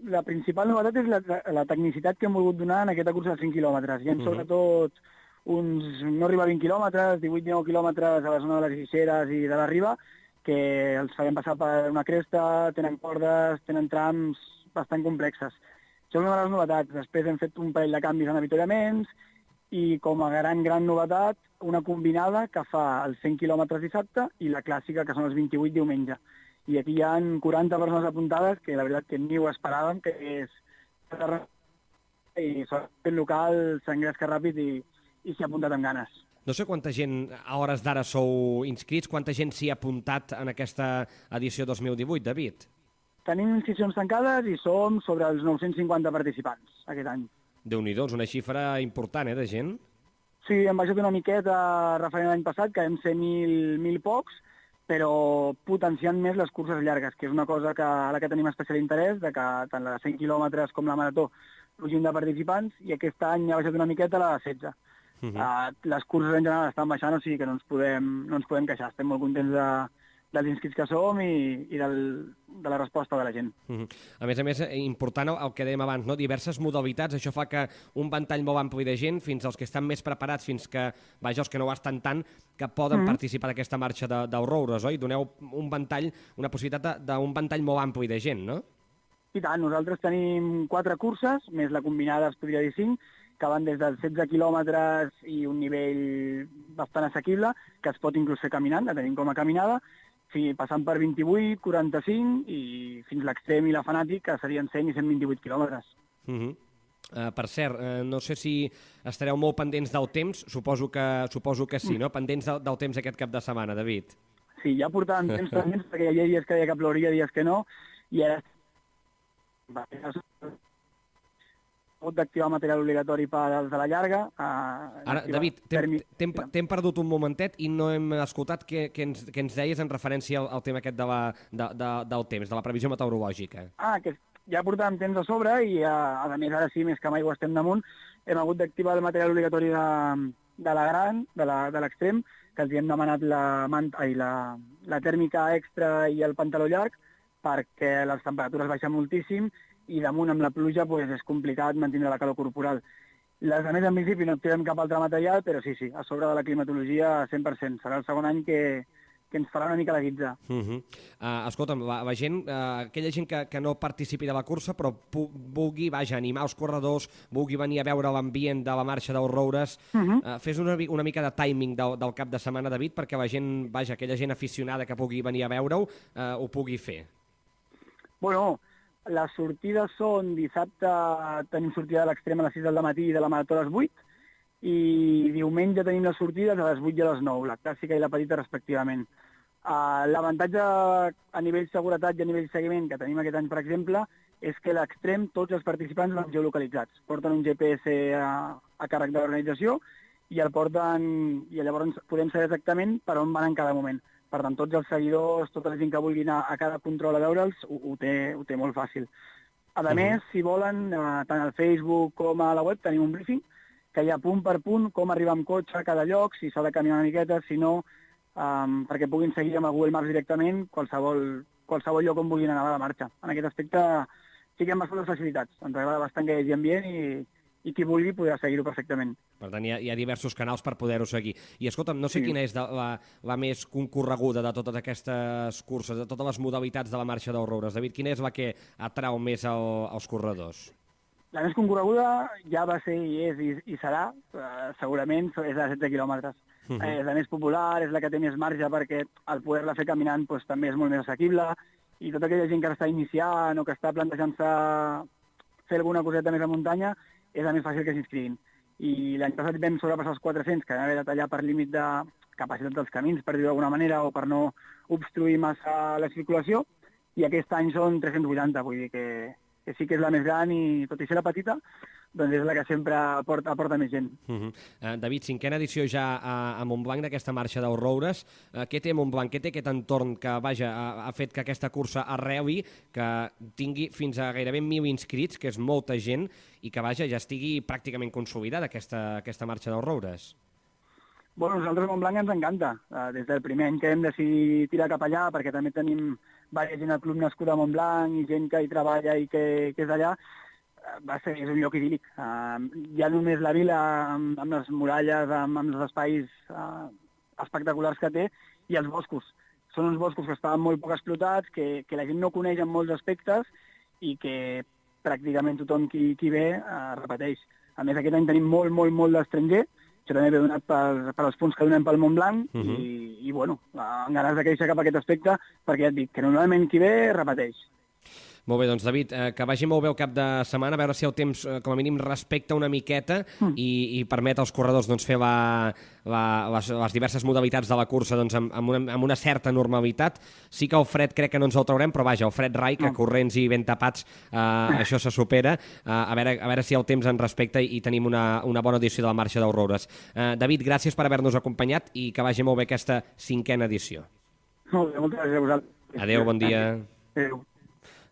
La principal novetat és la, la tecnicitat que hem volgut donar en aquesta cursa de cent quilòmetres. Hi ha, uh -huh. sobretot, uns no arriba a vint quilòmetres, divuit dinou quilòmetres a la zona de les Guixeres i de la Riba, que els farem passar per una cresta, tenen cordes, tenen trams bastant complexes. Això és una de les novetats. Després hem fet un parell de canvis en avituallaments i com a gran, gran novetat, una combinada que fa els cent quilòmetres dissabte i la clàssica, que són els vint-i-vuit diumenge. I aquí hi ha quaranta persones apuntades, que la veritat que ni ho esperàvem, que és... i el local s'engresca ràpid i, i s'hi ha apuntat amb ganes. No sé quanta gent a hores d'ara sou inscrits, quanta gent s'hi ha apuntat en aquesta edició dos mil divuit, David? Tenim inscripcions tancades i som sobre els nou-cents cinquanta participants aquest any. Déu-n'hi-do, és una xifra important, eh, de gent? Sí, hem baixat una miqueta referent a l'any passat, que vam ser mil, mil pocs, però potenciant més les curses llargues, que és una cosa que, a la que tenim especial interès, de que tant la de cent quilòmetres com la marató plugin de participants, i aquest any ha baixat una miqueta la de setze. Uh -huh. uh, les curses en general estan baixant, o sigui que no ens podem, no ens podem queixar. Estem molt contents de, dels inscrits que som i, i del, de la resposta de la gent. Uh -huh. A més a més, important el, el que dèiem abans, no? Diverses modalitats, això fa que un ventall molt ampli de gent, fins als que estan més preparats, fins que, vaja, els que no ho estan tant, que poden uh -huh. participar d'aquesta marxa de, dels roures, oi? Doneu un ventall, una possibilitat d'un ventall molt ampli de gent, no? I tant, nosaltres tenim quatre curses, més la combinada es podria dir cinc, que van des dels setze quilòmetres i un nivell bastant assequible, que es pot inclús fer caminant, la tenim com a caminada, sí, passant per vint-i-vuit, quaranta-cinc i fins l'extrem i la fanàtic, que serien cent i cent vint-i-vuit quilòmetres. Uh -huh. uh, per cert, uh, no sé si estareu molt pendents del temps, suposo que, suposo que sí, no? Pendents del, del temps aquest cap de setmana, David. Sí, ja portàvem temps pendents, perquè hi havia dies que deia que plouria, dies que no, i ara hagut d'activar material obligatori per als de la llarga. Ara, David, t'hem perdut un momentet i no hem escoltat què, què, ens, què ens deies en referència al, al tema aquest de la, de, de, del temps, de la previsió meteorològica. Ah, que ja portàvem temps a sobre i, a, a més, ara sí, més que mai ho estem damunt, hem hagut d'activar el material obligatori de, de la gran, de l'extrem, que els hi hem demanat la, manta, ai, la, la tèrmica extra i el pantaló llarg, perquè les temperatures baixen moltíssim i damunt amb la pluja pues, és complicat mantenir la calor corporal. Les altres, en principi, no activem cap altre material, però sí, sí, a sobre de la climatologia cent per cent. Serà el segon any que, que ens farà una mica la guitza. Uh -huh. uh, escolta'm, la, la gent, uh, aquella gent que, que no participi de la cursa, però vulgui, vaja, animar els corredors, vulgui venir a veure l'ambient de la marxa dels Roures, uh -huh. uh, fes una, una mica de timing del, del cap de setmana, David, perquè la gent, vaja, aquella gent aficionada que pugui venir a veure-ho, uh, ho pugui fer. Bueno, les sortides són dissabte, tenim sortida de l'extrem a les sis del matí i de la marató a les vuit, i diumenge tenim les sortides a les vuit i a les nou, la clàssica i la petita respectivament. Uh, L'avantatge a nivell seguretat i a nivell seguiment que tenim aquest any, per exemple, és que l'extrem tots els participants van geolocalitzats. Porten un G P S a, a càrrec de l'organització i el porten, i llavors podem saber exactament per on van en cada moment. Per tant, tots els seguidors, tota la gent que vulgui anar a cada control a veure'ls, ho, ho, té, ho té molt fàcil. A uh-huh. més, si volen, uh, tant al Facebook com a la web tenim un briefing que hi ha punt per punt com arribar amb cotxe a cada lloc, si s'ha de caminar una miqueta, si no, um, perquè puguin seguir amb el Google Maps directament qualsevol, qualsevol lloc on vulguin anar a la marxa. En aquest aspecte sí que hi ha bastantes facilitats. Ens agrada bastant que hi hagi ambient i, i qui vulgui podrà seguir-ho perfectament. Per tant, hi ha, hi ha diversos canals per poder-ho seguir. I escolta'm, no sé sí. quina és de, la, la més concorreguda de totes aquestes curses, de totes les modalitats de la marxa dels Roures. David, quina és la que atrau més el, els corredors? La més concorreguda ja va ser i és i, i serà, eh, segurament, és la de setze quilòmetres. Uh -huh. eh, és la més popular, és la que té més marge perquè el poder-la fer caminant pues, també és molt més assequible i tota aquella gent que està iniciant o que està plantejant-se fer alguna coseta més a muntanya és la més fàcil que s'inscriguin. I l'any passat vam sobrepassar els quatre-cents, que vam haver de tallar per límit de capacitat dels camins, per dir-ho d'alguna manera, o per no obstruir massa la circulació, i aquest any són tres-cents vuitanta, vull dir que, que sí que és la més gran i, tot i ser la petita, doncs és la que sempre aporta, aporta més gent. Uh -huh. uh, David, cinquena edició ja a, a Montblanc d'aquesta marxa dels Roures. Uh, què té Montblanc? Què té aquest entorn que, vaja, ha, ha fet que aquesta cursa arreli, que tingui fins a gairebé mil inscrits, que és molta gent, i que, vaja, ja estigui pràcticament consolidada aquesta, aquesta marxa dels Roures? Bueno, nosaltres a Montblanc ens encanta. Uh, des del primer any que hem decidit tirar cap allà, perquè també tenim diversa gent al club nascut a Montblanc i gent que hi treballa i que, que és d'allà, va ser, és un lloc idíl·lic. Uh, ja només la vila amb, amb les muralles, amb, amb els espais uh, espectaculars que té, i els boscos. Són uns boscos que estaven molt poc explotats, que, que la gent no coneix en molts aspectes i que pràcticament tothom qui, qui ve uh, repeteix. A més, aquest any tenim molt, molt, molt d'estranger. Això també ve donat per, per els punts que donem pel Montblanc uh -huh. i, i, bueno, amb ganes de créixer cap a aquest aspecte, perquè ja et dic que normalment qui ve repeteix. Molt bé, doncs David, eh, que vagi molt bé el cap de setmana, a veure si el temps, eh, com a mínim, respecta una miqueta mm. i, i permet als corredors doncs, fer la, la, les, les diverses modalitats de la cursa doncs, amb, amb, una, amb una certa normalitat. Sí que el fred crec que no ens el traurem, però vaja, el fred rai, que no. corrents i ben tapats, eh, això se supera. Eh, a, veure, a veure si el temps ens respecta i, i tenim una, una bona edició de la marxa dels Roures. Eh, David, gràcies per haver-nos acompanyat i que vagi molt bé aquesta cinquena edició. Molt bé, moltes gràcies a vosaltres. Adéu, bon dia. Adéu.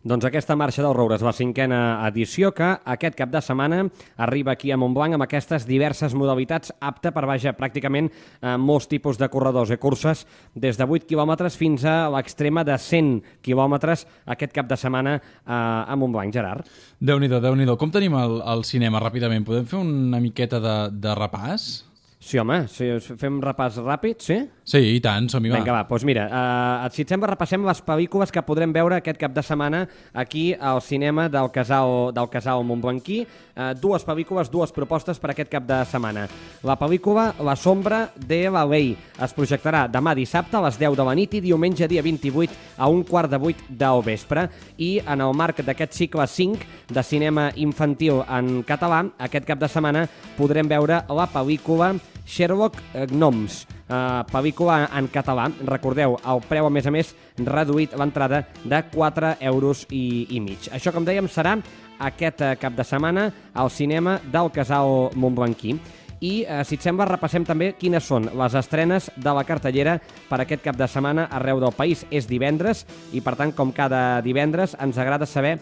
Doncs aquesta marxa dels Roures, la cinquena edició, que aquest cap de setmana arriba aquí a Montblanc amb aquestes diverses modalitats, apta per, vaja, pràcticament eh, molts tipus de corredors i curses, des de vuit quilòmetres fins a l'extrema de cent quilòmetres aquest cap de setmana eh, a Montblanc. Gerard? Déu-n'hi-do, Déu-n'hi-do. Com tenim el, el cinema, ràpidament? Podem fer una miqueta de, de repàs? Sí, home, si fem repàs ràpid, sí? Sí, i tant, som-hi, va. Vinga, va, doncs mira, eh, si et sembla, repassem les pel·lícules que podrem veure aquest cap de setmana aquí al cinema del Casal, del Casal Montblanquí. Eh, dues pel·lícules, dues propostes per aquest cap de setmana. La pel·lícula La sombra de la ley es projectarà demà dissabte a les deu de la nit i diumenge dia vint-i-vuit a un quart de vuit del vespre. I en el marc d'aquest cicle cinc de cinema infantil en català, aquest cap de setmana podrem veure la pel·lícula Sherlock Gnomes, uh, pel·lícula en català. Recordeu, el preu, a més a més, reduït l'entrada de quatre euros i, i mig. Això, com dèiem, serà aquest uh, cap de setmana al cinema del Casal Montblanquí. I, uh, si et sembla, repassem també quines són les estrenes de la cartellera per aquest cap de setmana arreu del país. És divendres i, per tant, com cada divendres, ens agrada saber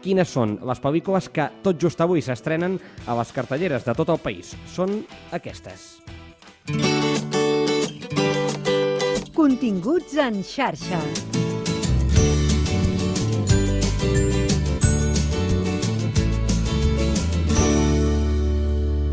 quines són les pel·lícules que tot just avui s'estrenen a les cartelleres de tot el país. Són aquestes. Continguts en xarxa.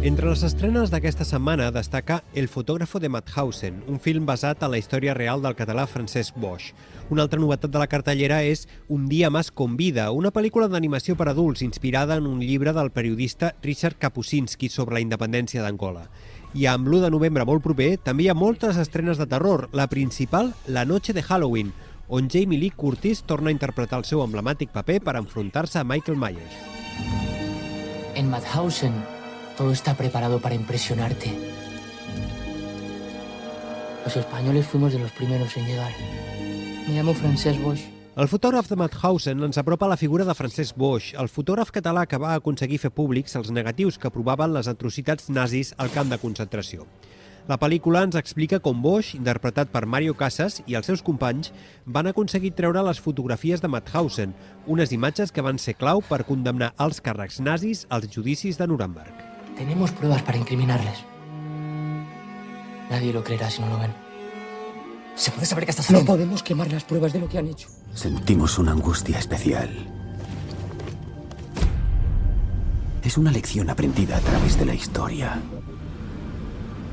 Entre les estrenes d'aquesta setmana destaca El fotògrafo de Mauthausen, un film basat en la història real del català Francesc Boix. Una altra novetat de la cartellera és Un dia más con vida, una pel·lícula d'animació per adults inspirada en un llibre del periodista Richard Kapuscinski sobre la independència d'Angola. I amb l'u de novembre molt proper també hi ha moltes estrenes de terror, la principal, La noche de Halloween, on Jamie Lee Curtis torna a interpretar el seu emblemàtic paper per enfrontar-se a Michael Myers. En Mauthausen todo está preparado para impresionarte. Los españoles fuimos de los primeros en llegar. Me llamo Francesc Boix. El fotògraf de Mauthausen ens apropa a la figura de Francesc Boix, el fotògraf català que va aconseguir fer públics els negatius que provaven les atrocitats nazis al camp de concentració. La pel·lícula ens explica com Boix, interpretat per Mario Casas i els seus companys, van aconseguir treure les fotografies de Mauthausen, unes imatges que van ser clau per condemnar els càrrecs nazis als judicis de Nuremberg. Tenemos pruebas para incriminarles. Nadie lo creerá si no lo ven. ¿Se puede saber qué está haciendo? No podemos quemar las pruebas de lo que han hecho. Sentimos una angustia especial. Es una lección aprendida a través de la historia.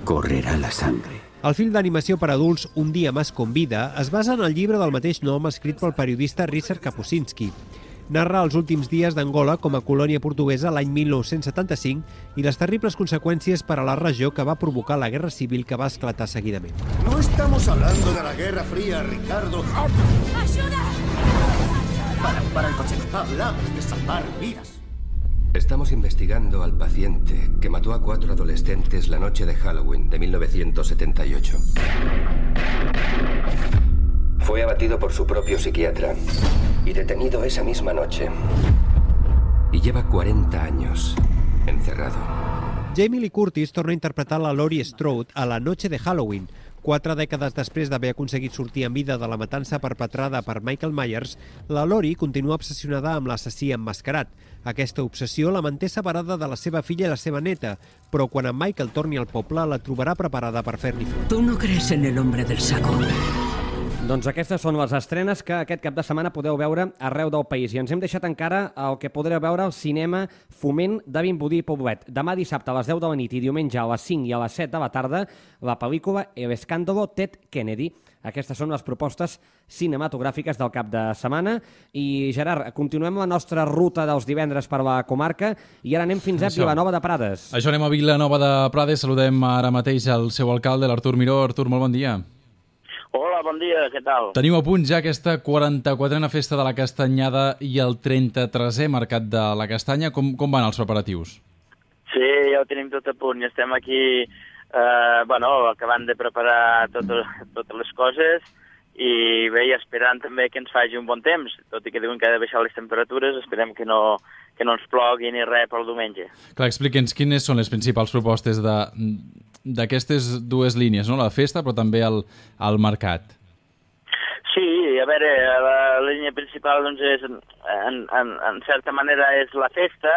Correrá la sangre. El film d'animació per adults Un dia más con vida es basa en el llibre del mateix nom escrit pel periodista Richard Kapuscinski. Narra els últims dies d'Angola com a colònia portuguesa l'any mil nou-cents setanta-cinc i les terribles conseqüències per a la regió que va provocar la guerra civil que va esclatar seguidament. No estamos hablando de la Guerra Fría, Ricardo. ¡Ayuda! Para, para el coche. Hablamos de salvar vidas. Estamos investigando al paciente que mató a cuatro adolescentes la noche de Halloween de mil novecientos setenta y ocho. Fue abatido por su propio psiquiatra y detenido esa misma noche. Y lleva cuarenta años encerrado. Jamie Lee Curtis torna a interpretar la Laurie Strode a La noche de Halloween. Quatre dècades després d'haver aconseguit sortir en vida de la matança perpetrada per Michael Myers, la Laurie continua obsessionada amb l'assassí emmascarat. Aquesta obsessió la manté separada de la seva filla i la seva neta, però quan en Michael torni al poble la trobarà preparada per fer-li front. Tu no crees en el hombre del saco. Doncs aquestes són les estrenes que aquest cap de setmana podeu veure arreu del país. I ens hem deixat encara el que podreu veure al cinema Foment de Vimbodí i Poblet. Demà dissabte a les deu de la nit i diumenge a les cinc i a les set de la tarda, la pel·lícula El escándalo Ted Kennedy. Aquestes són les propostes cinematogràfiques del cap de setmana. I, Gerard, continuem la nostra ruta dels divendres per la comarca i ara anem fins a Això. Vilanova de Prades. Això, anem a Vilanova de Prades. Saludem ara mateix el seu alcalde, l'Artur Miró. Artur, molt bon dia. Hola, bon dia, què tal? Teniu a punt ja aquesta quaranta-quatrena festa de la Castanyada i el trenta-tresè Mercat de la Castanya. Com, com van els preparatius? Sí, ja ho tenim tot a punt. Ja estem aquí, eh, bueno, acabant de preparar tot, totes les coses i bé, esperant també que ens faci un bon temps. Tot i que diuen que ha de baixar les temperatures, esperem que no, que no ens plogui ni res pel diumenge. Clar, explica'ns quines són les principals propostes de... d'aquestes dues línies, no? La festa, però també el, el mercat. Sí, a veure, la línia principal, doncs, és, en, en, en certa manera és la festa,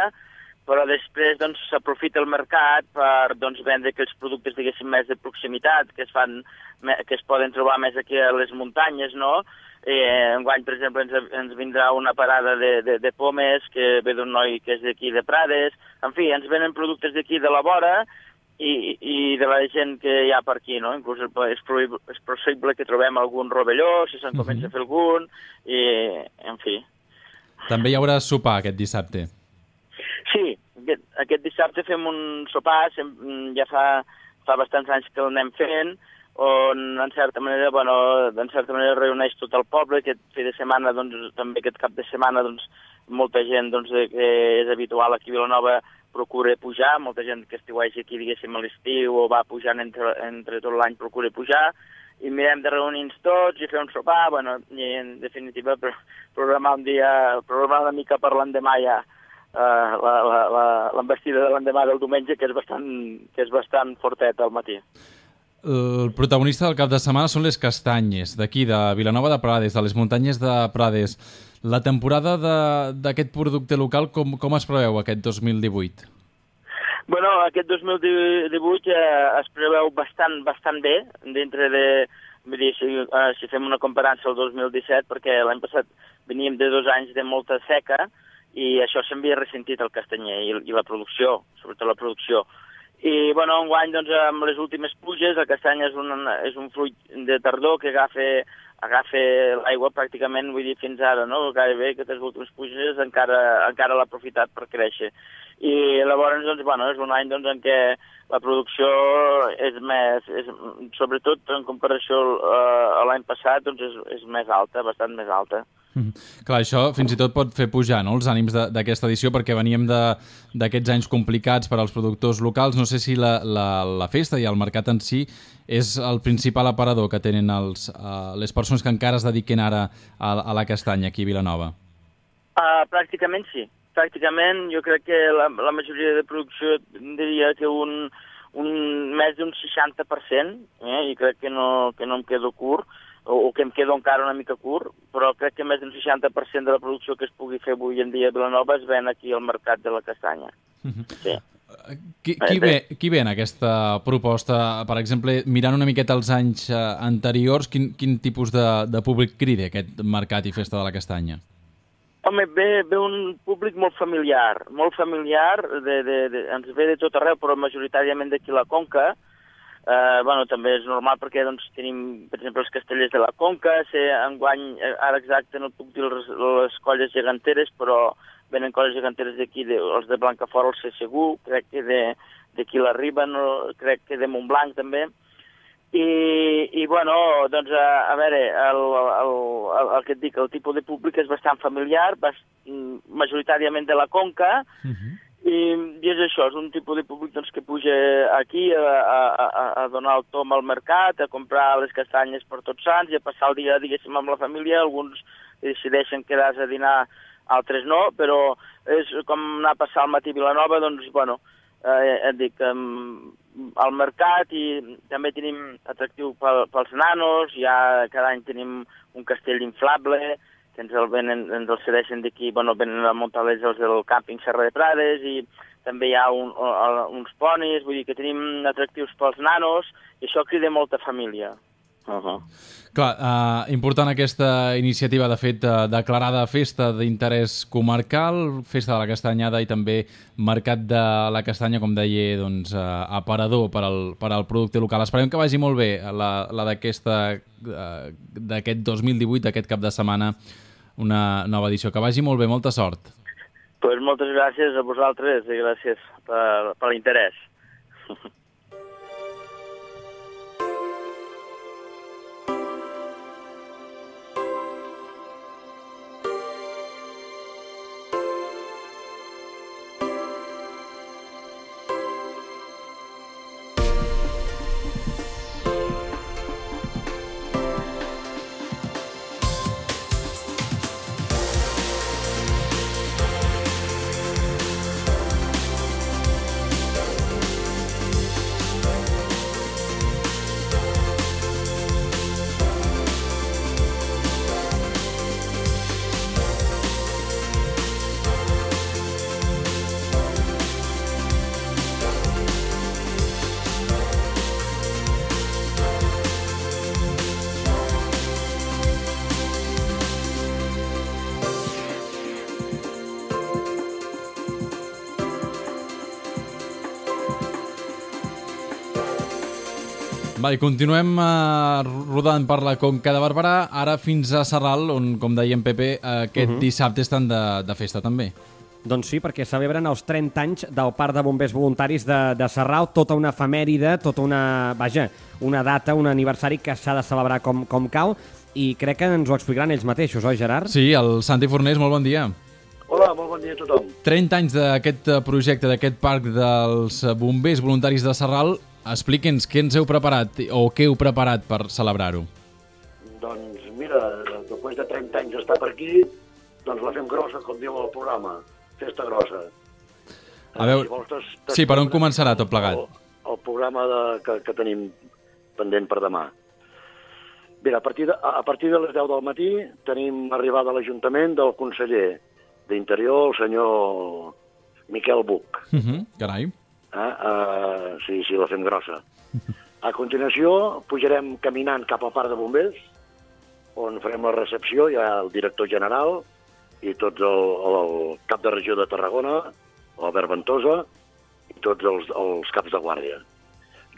però després doncs, s'aprofita el mercat per doncs, vendre aquells productes, diguéssim, més de proximitat, que es, fan, que es poden trobar més aquí a les muntanyes, no? Eh, enguany, per exemple, ens, ens vindrà una parada de, de, de pomes, que ve d'un noi que és d'aquí de Prades. En fi, ens venen productes d'aquí de la vora, I, i de la gent que hi ha per aquí, no? Inclús és, és possible que trobem algun rovelló, si se'n comença a fer algun, i, en fi. També hi haurà sopar aquest dissabte. Sí, aquest, aquest dissabte fem un sopar, ja fa, fa bastants anys que l'anem fent, on, en certa manera, bueno, en certa manera reuneix tot el poble. Aquest fi de setmana, doncs, també aquest cap de setmana, doncs, molta gent doncs, que és habitual aquí a Vilanova procura pujar, molta gent que estiueix aquí, diguéssim, a l'estiu o va pujant entre, entre tot l'any procura pujar, i mirem de reunir-nos tots i fer un sopar, bueno, i en definitiva programar un dia, programar una mica per l'endemà ja, uh, l'embestida de l'endemà del diumenge, que és bastant, que és bastant fortet al matí. El protagonista del cap de setmana són les castanyes, d'aquí, de Vilanova de Prades, de les muntanyes de Prades. La temporada d'aquest producte local, com, com es preveu aquest dos mil divuit? Bueno, aquest dos mil divuit eh, es preveu bastant, bastant bé, dintre de, vull dir, si, uh, si fem una comparança al dos mil disset, perquè l'any passat veníem de dos anys de molta seca i això s'havia ressentit el castanyer i, i la producció, sobretot la producció. I, bueno, enguany, doncs, amb les últimes pluges, el castany és un, és un fruit de tardor que agafa, agafa l'aigua pràcticament, vull dir, fins ara, no? Gairebé aquestes últimes pluges encara, encara l'ha aprofitat per créixer. I llavors, doncs, bueno, és un any doncs, en què la producció és més, és, sobretot en comparació a l'any passat, doncs és, és més alta, bastant més alta. Mm. Clar, això fins i tot pot fer pujar, no?, els ànims d'aquesta edició, perquè veníem d'aquests anys complicats per als productors locals. No sé si la, la, la festa i el mercat en si és el principal aparador que tenen els, uh, les persones que encara es dediquen ara a, a la castanya aquí a Vilanova. Uh, pràcticament sí. Pràcticament jo crec que la, la majoria de producció diria que un, un més d'un seixanta per cent, eh? I crec que no, que no em quedo curt, o que em quedo encara una mica curt, però crec que més d'un seixanta per cent de la producció que es pugui fer avui en dia a Vilanova es ven aquí al mercat de la castanya. Sí. Qui, qui, ve, qui ve en aquesta proposta? Per exemple, mirant una miqueta els anys anteriors, quin, quin tipus de, de públic crida aquest mercat i festa de la castanya? Home, ve, ve un públic molt familiar, molt familiar, de, de, de, ens ve de tot arreu, però majoritàriament d'aquí la Conca. Uh, bueno, també és normal perquè doncs, tenim, per exemple, els castellers de la Conca, sé, enguany, ara exacte no puc dir les, les colles geganteres, però venen colles geganteres d'aquí, de, els de Blancafort, el sé segur, crec que d'aquí la Riba, no, crec que de Montblanc també. I, i bueno, doncs, a, a veure, el, el, el, el que et dic, el tipus de públic és bastant familiar, bast, majoritàriament de la Conca, uh-huh. I, i és això, és un tipus de públic doncs, que puja aquí a, a, a, a donar el tom al mercat, a comprar les castanyes per Tots Sants i a passar el dia, diguéssim, amb la família. Alguns decideixen quedar-se a dinar, altres no, però és com anar a passar el matí a Vilanova, doncs, bueno, eh, et dic, um, al mercat, i també tenim atractiu pel, pels nanos, ja cada any tenim un castell inflable, que ens el, venen, ens el cedeixen d'aquí, bueno, venen a muntar-les els del càmping Serra de Prades, i també hi ha un, un, uns ponis, vull dir que tenim atractius pels nanos, i això crida molta família. Uh-huh. Clar, eh, important aquesta iniciativa, de fet, de, declarada festa d'interès comarcal, festa de la castanyada i també mercat de la castanya, com deia, doncs, eh, aparador per al, per al producte local. Esperem que vagi molt bé la, la d'aquesta eh, d'aquest dos mil divuit, d'aquest cap de setmana, una nova edició. Que vagi molt bé, molta sort. Pues moltes gràcies a vosaltres i gràcies per, per l'interès. Va, i continuem uh, rodant per la Conca de Barberà, ara fins a Sarral, on, com deia en Pepe, aquest uh-huh. dissabte estan de, de festa també. Doncs sí, perquè celebren els trenta anys del Parc de Bombers Voluntaris de, de Sarral, tota una efemèride, tota una, vaja, una data, un aniversari que s'ha de celebrar com, com cal, i crec que ens ho explicaran ells mateixos, oi, Gerard? Sí, el Santi Fornés, molt bon dia. Hola, molt bon dia a tothom. trenta anys d'aquest projecte, d'aquest Parc dels Bombers Voluntaris de Sarral. Expliqui'ns què ens heu preparat o què heu preparat per celebrar-ho. Doncs mira, després de trenta anys d'estar per aquí, doncs la fem grossa, com diu el programa, festa grossa. A veure, si vols, tes, tes sí, per on començarà tot plegat? El, el programa de, que, que tenim pendent per demà. Mira, a partir, de, a partir de les deu del matí tenim arribada a l'Ajuntament del conseller d'Interior, el senyor Miquel Buch. Uh-huh, carai. Eh? Uh, sí, sí, la fem grossa. A continuació, pujarem caminant cap al parc de bombers, on farem la recepció, hi ha el director general i tots el, el cap de regió de Tarragona, l'Albert Ventosa, i tots els, els caps de guàrdia,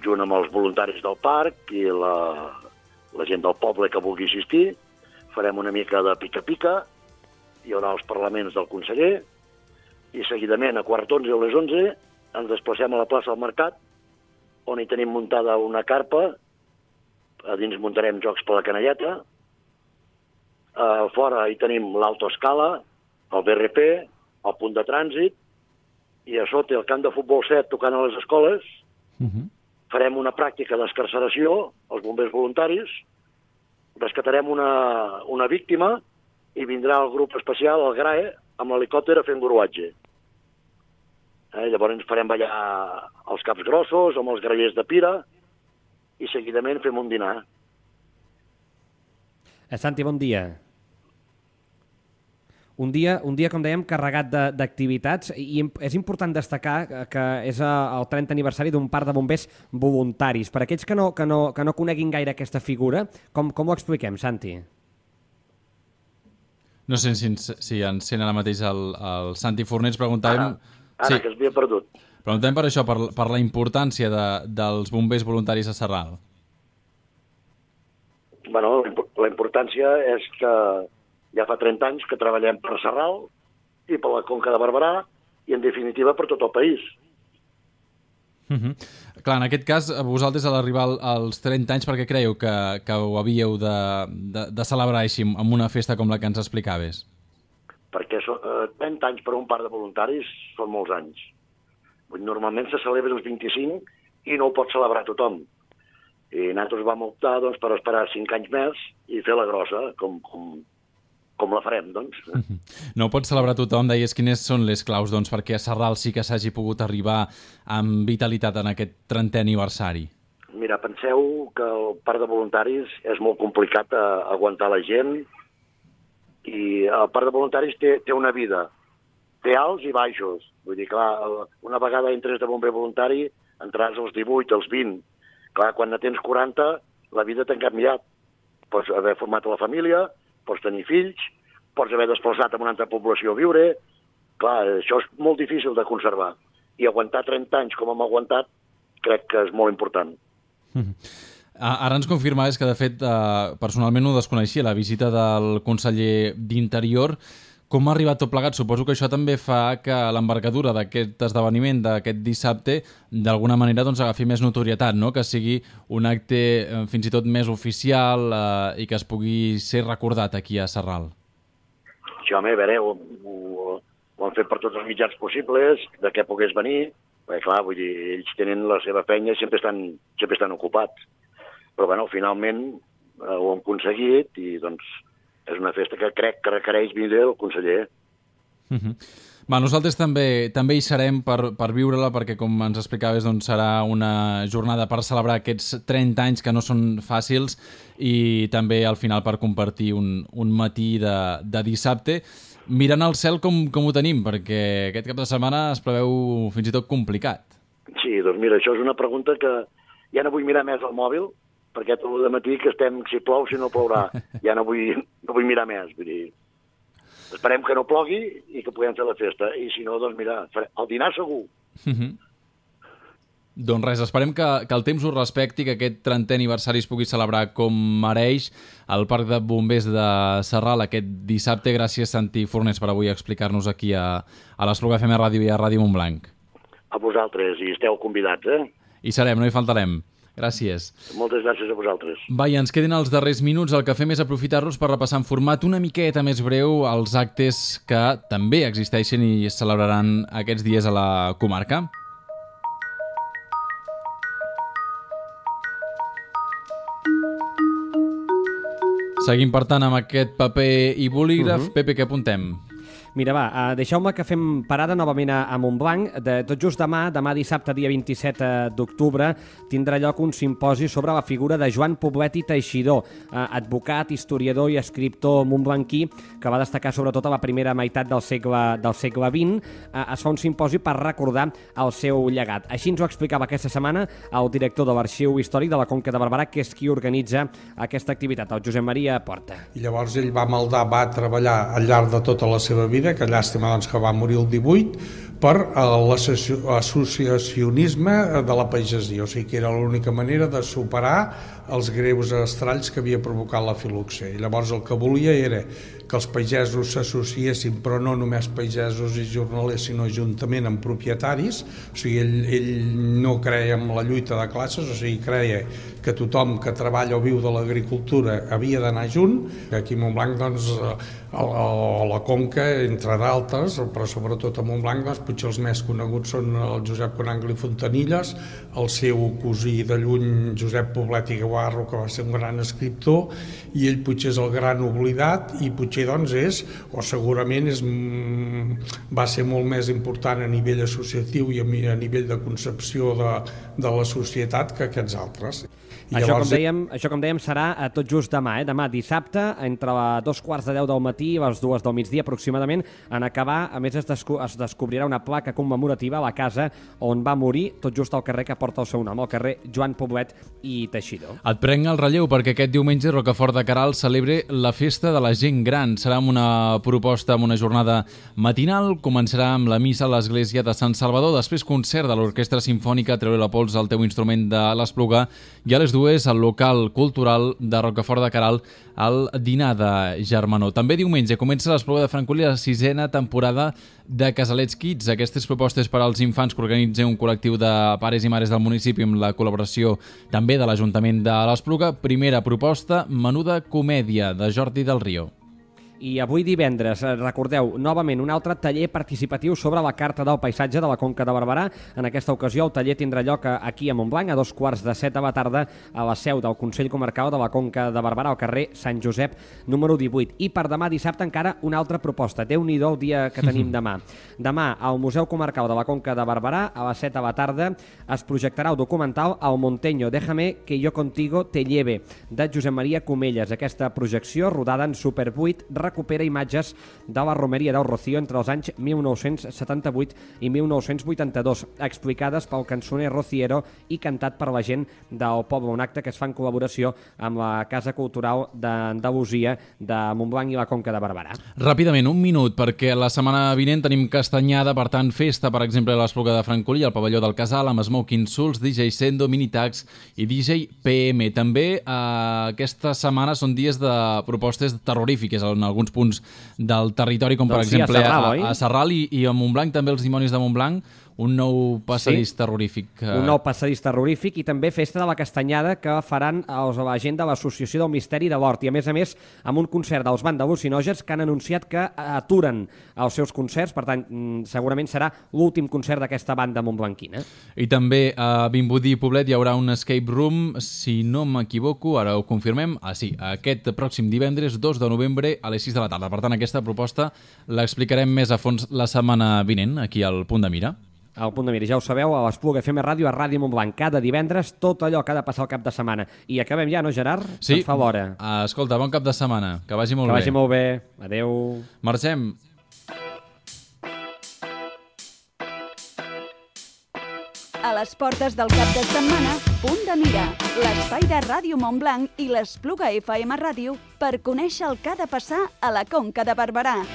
junt amb els voluntaris del parc i la, la gent del poble que vulgui assistir. Farem una mica de pica-pica, hi haurà els parlaments del conseller, i seguidament a quart d'onze o les onze ens desplacem a la plaça del Mercat, on hi tenim muntada una carpa, a dins muntarem jocs per la canalleta, a fora hi tenim l'autoescala, el B R P, el punt de trànsit, i a sota el camp de futbol set tocant a les escoles. Uh-huh. Farem una pràctica d'escarceració, els bombers voluntaris, rescatarem una, una víctima i vindrà el grup especial, el GRAE, amb l'helicòpter a fer enguruatge. Eh, llavors farem ballar els caps grossos amb els grallers de pira i seguidament fem un dinar. Eh, Santi, bon dia. Un dia, un dia, com dèiem, carregat d'activitats, i és important destacar que és el trentè aniversari d'un parc de bombers voluntaris. Per aquells que no, que no, que no coneguin gaire aquesta figura, com, com ho expliquem, Santi? No sé si, si ens sent ara mateix el, el Santi Fornells. Preguntàvem... Ara, ara sí. Que es havia perdut. Preguntem per això, per, per la importància de, dels bombers voluntaris a Sarral. Bueno, la importància és que ja fa trenta anys que treballem per Sarral i per la Conca de Barberà i, en definitiva, per tot el país. Uh-huh. Clar, en aquest cas, vosaltres a l'arribar als trenta anys, per què creieu que, que ho havíeu de, de, de celebrar així, amb una festa com la que ens explicaves? Perquè so, eh, trenta anys per un parc de voluntaris són molts anys. Normalment se celebra els vint-i-cinc i no ho pot celebrar tothom. I nosaltres vam optar doncs, per esperar cinc anys més i fer la grossa, com, com, com la farem, doncs. No ho pot celebrar tothom. Deies, quines són les claus doncs, perquè a Sarral sí que s'hagi pogut arribar amb vitalitat en aquest trentè aniversari? Mira, penseu que el parc de voluntaris és molt complicat a aguantar la gent i el parc de voluntaris té, té una vida. Té alts i baixos. Vull dir, clar, una vegada entres de bomber voluntari entraràs als divuit, als vint. Clar, quan ne tens quaranta, la vida t'ha canviat. Pots haver format la família, pots tenir fills, pots haver desplaçat a una altra població a viure. Clar, això és molt difícil de conservar. I aguantar trenta anys com hem aguantat crec que és molt important. Mm. Ara ens confirmaves que, de fet, eh, personalment ho desconeixia, la visita del conseller d'Interior. Com ha arribat tot plegat? Suposo que això també fa que l'envergadura d'aquest esdeveniment, d'aquest dissabte, d'alguna manera doncs, agafi més notorietat, no? Que sigui un acte eh, fins i tot més oficial eh, i que es pugui ser recordat aquí a Sarral. Sí, home, a veure, ho, ho, ho han fet per tots els mitjans possibles, de què pogués venir, perquè clar, vull dir, ells tenen la seva feina i sempre estan, sempre estan ocupats. Però bueno, finalment eh, ho hem aconseguit i doncs és una festa que crec que requereix vindre el conseller. Uh-huh. Va, nosaltres també també hi serem per, per viure-la, perquè com ens explicaves doncs, serà una jornada per celebrar aquests trenta anys que no són fàcils i també al final per compartir un, un matí de, de dissabte. Mirant al cel com, com ho tenim, perquè aquest cap de setmana es preveu fins i tot complicat. Sí, doncs mira, això és una pregunta que ja no vull mirar més al mòbil, perquè tot el matí que estem si plou, si no plourà. Ja no vull, no vull mirar més. Vull dir, esperem que no plogui i que puguem fer la festa. I si no, doncs mira, el dinar segur. Uh-huh. Doncs res, esperem que, que el temps ho respecti, que aquest trentè aniversari es pugui celebrar com mereix al Parc de Bombers de Sarral aquest dissabte. Gràcies, Santi Fornells, per avui explicar-nos aquí a, a l'Espluga F M Ràdio i a Ràdio Montblanc. A vosaltres, i esteu convidats, eh? Hi serem, no hi faltarem. Gràcies. Moltes gràcies a vosaltres. Va, i ens queden els darrers minuts. El que fem és aprofitar-los per repassar en format una miqueta més breu els actes que també existeixen i es celebraran aquests dies a la comarca. Seguim, per tant, amb aquest paper i bolígraf. Uh-huh. Pepe, què apuntem? Mira, va, uh, deixeu-me que fem parada novament a, a Montblanc. De, tot just demà, demà dissabte, dia vint-i-set d'octubre, tindrà lloc un simposi sobre la figura de Joan Poblet i Teixidor, uh, advocat, historiador i escriptor montblanquí, que va destacar sobretot a la primera meitat del segle, del segle vint. Uh, es fa un simposi per recordar el seu llegat. Així ens ho explicava aquesta setmana el director de l'Arxiu Històric de la Conca de Barberà, que és qui organitza aquesta activitat, el Josep Maria Porta. I llavors ell va maldar, va treballar al llarg de tota la seva vida, que llàstima doncs, que va morir el divuit, per l'associacionisme de la pagesia, o sigui que era l'única manera de superar els greus estralls que havia provocat la filoxera. I llavors el que volia era que els pagesos s'associessin, però no només pagesos i jornalers, sinó juntament amb propietaris. O sigui, ell, ell no creia en la lluita de classes, o sigui, creia que tothom que treballa o viu de l'agricultura havia d'anar junt. Aquí a Montblanc, doncs, a la Conca, entre d'altres, però sobretot a Montblanc, doncs, potser els més coneguts són el Josep Conangli Fontanilles, el seu cosí de lluny, Josep Poblet i Guarro, que va ser un gran escriptor, i ell potser és el gran oblidat, i potser doncs és, o segurament és, va ser molt més important a nivell associatiu i a nivell de concepció de, de la societat que aquests altres. I això, llavors... com dèiem, això, com dèiem, serà tot just demà, eh? Demà dissabte, entre dos quarts de deu del matí i les dues del migdia aproximadament. En acabar, a més, es, desco es descobrirà una placa commemorativa a la casa on va morir, tot just al carrer que porta el seu nom, el carrer Joan Poblet i Teixidor. Et prenc el relleu perquè aquest diumenge Rocafort de Queralt celebre la festa de la gent gran. Serà una proposta amb una jornada matinal, començarà amb la missa a l'església de Sant Salvador, després concert de l'Orquestra Simfònica Treure la pols al teu instrument de l'Espluga, i a les dues al local cultural de Rocafort de Queralt al dinar de Germanó. També diumenge comença l'Espluga de Francolí la sisena temporada de Casalets Kids, aquestes propostes per als infants que organitza un col·lectiu de pares i mares del municipi amb la col·laboració també de l'Ajuntament de l'Espluga. Primera proposta, Menuda comèdia, de Jordi del Rio. I avui divendres, recordeu, novament un altre taller participatiu sobre la Carta del Paisatge de la Conca de Barberà. En aquesta ocasió el taller tindrà lloc aquí a Montblanc a dos quarts de set de la tarda a la seu del Consell Comarcal de la Conca de Barberà, al carrer Sant Josep número divuit. I per demà dissabte encara una altra proposta. Déu-n'hi-do el dia que tenim demà. Demà al Museu Comarcal de la Conca de Barberà a les set de la tarda es projectarà el documental El Monteño, déjame que yo contigo te lleve, de Josep Maria Comelles. Aquesta projecció, rodada en Super vuit, recupera imatges de la romeria del Rocío entre els anys mil nou-cents setanta-vuit i mil nou-cents vuitanta-dos, explicades pel cançoner rociero i cantat per la gent del poble, un acte que es fa en col·laboració amb la Casa Cultural d'Andalusia de Montblanc i la Conca de Barberà. Ràpidament, un minut, perquè la setmana vinent tenim Castanyada, per tant, festa, per exemple, a l'Espluga de Francolí, al pavelló del Casal, amb Smoking Souls, D J Sendo, Minitax i D J P M. També eh, aquesta setmana són dies de propostes terrorífiques en alguns punts del territori, com per doncs sí, exemple a Sarral, a, a Sarral i, i a Montblanc, també els dimonis de Montblanc, un nou passadís sí, terrorífic. Un nou passadís terrorífic i també festa de la Castanyada que faran els, la gent de l'Associació del Misteri de l'Hort i a més a més amb un concert dels Banda Al·lucinògens que han anunciat que aturen els seus concerts, per tant segurament serà l'últim concert d'aquesta banda montblanquina. I també a Vimbodí i Poblet hi haurà un escape room, si no m'equivoco, ara ho confirmem, ah sí, aquest pròxim divendres dos de novembre a les sis de la tarda. Per tant, aquesta proposta l'explicarem més a fons la setmana vinent, aquí al Punt de Mira. Al Punt de Mira, ja ho sabeu, a l'Espluga F M Ràdio, a Ràdio Montblanc, cada divendres, tot allò que ha de passar al cap de setmana. I acabem ja, no, Gerard? Sí. Se'ns fa l'hora. Escolta, bon cap de setmana, que vagi molt bé. Que bé. vagi molt bé. Adéu. Marxem. A les portes del cap de setmana, Punt de Mira, l'espai de Ràdio Montblanc i l'Espluga F M Ràdio per conèixer el que ha de passar a la Conca de Barberà.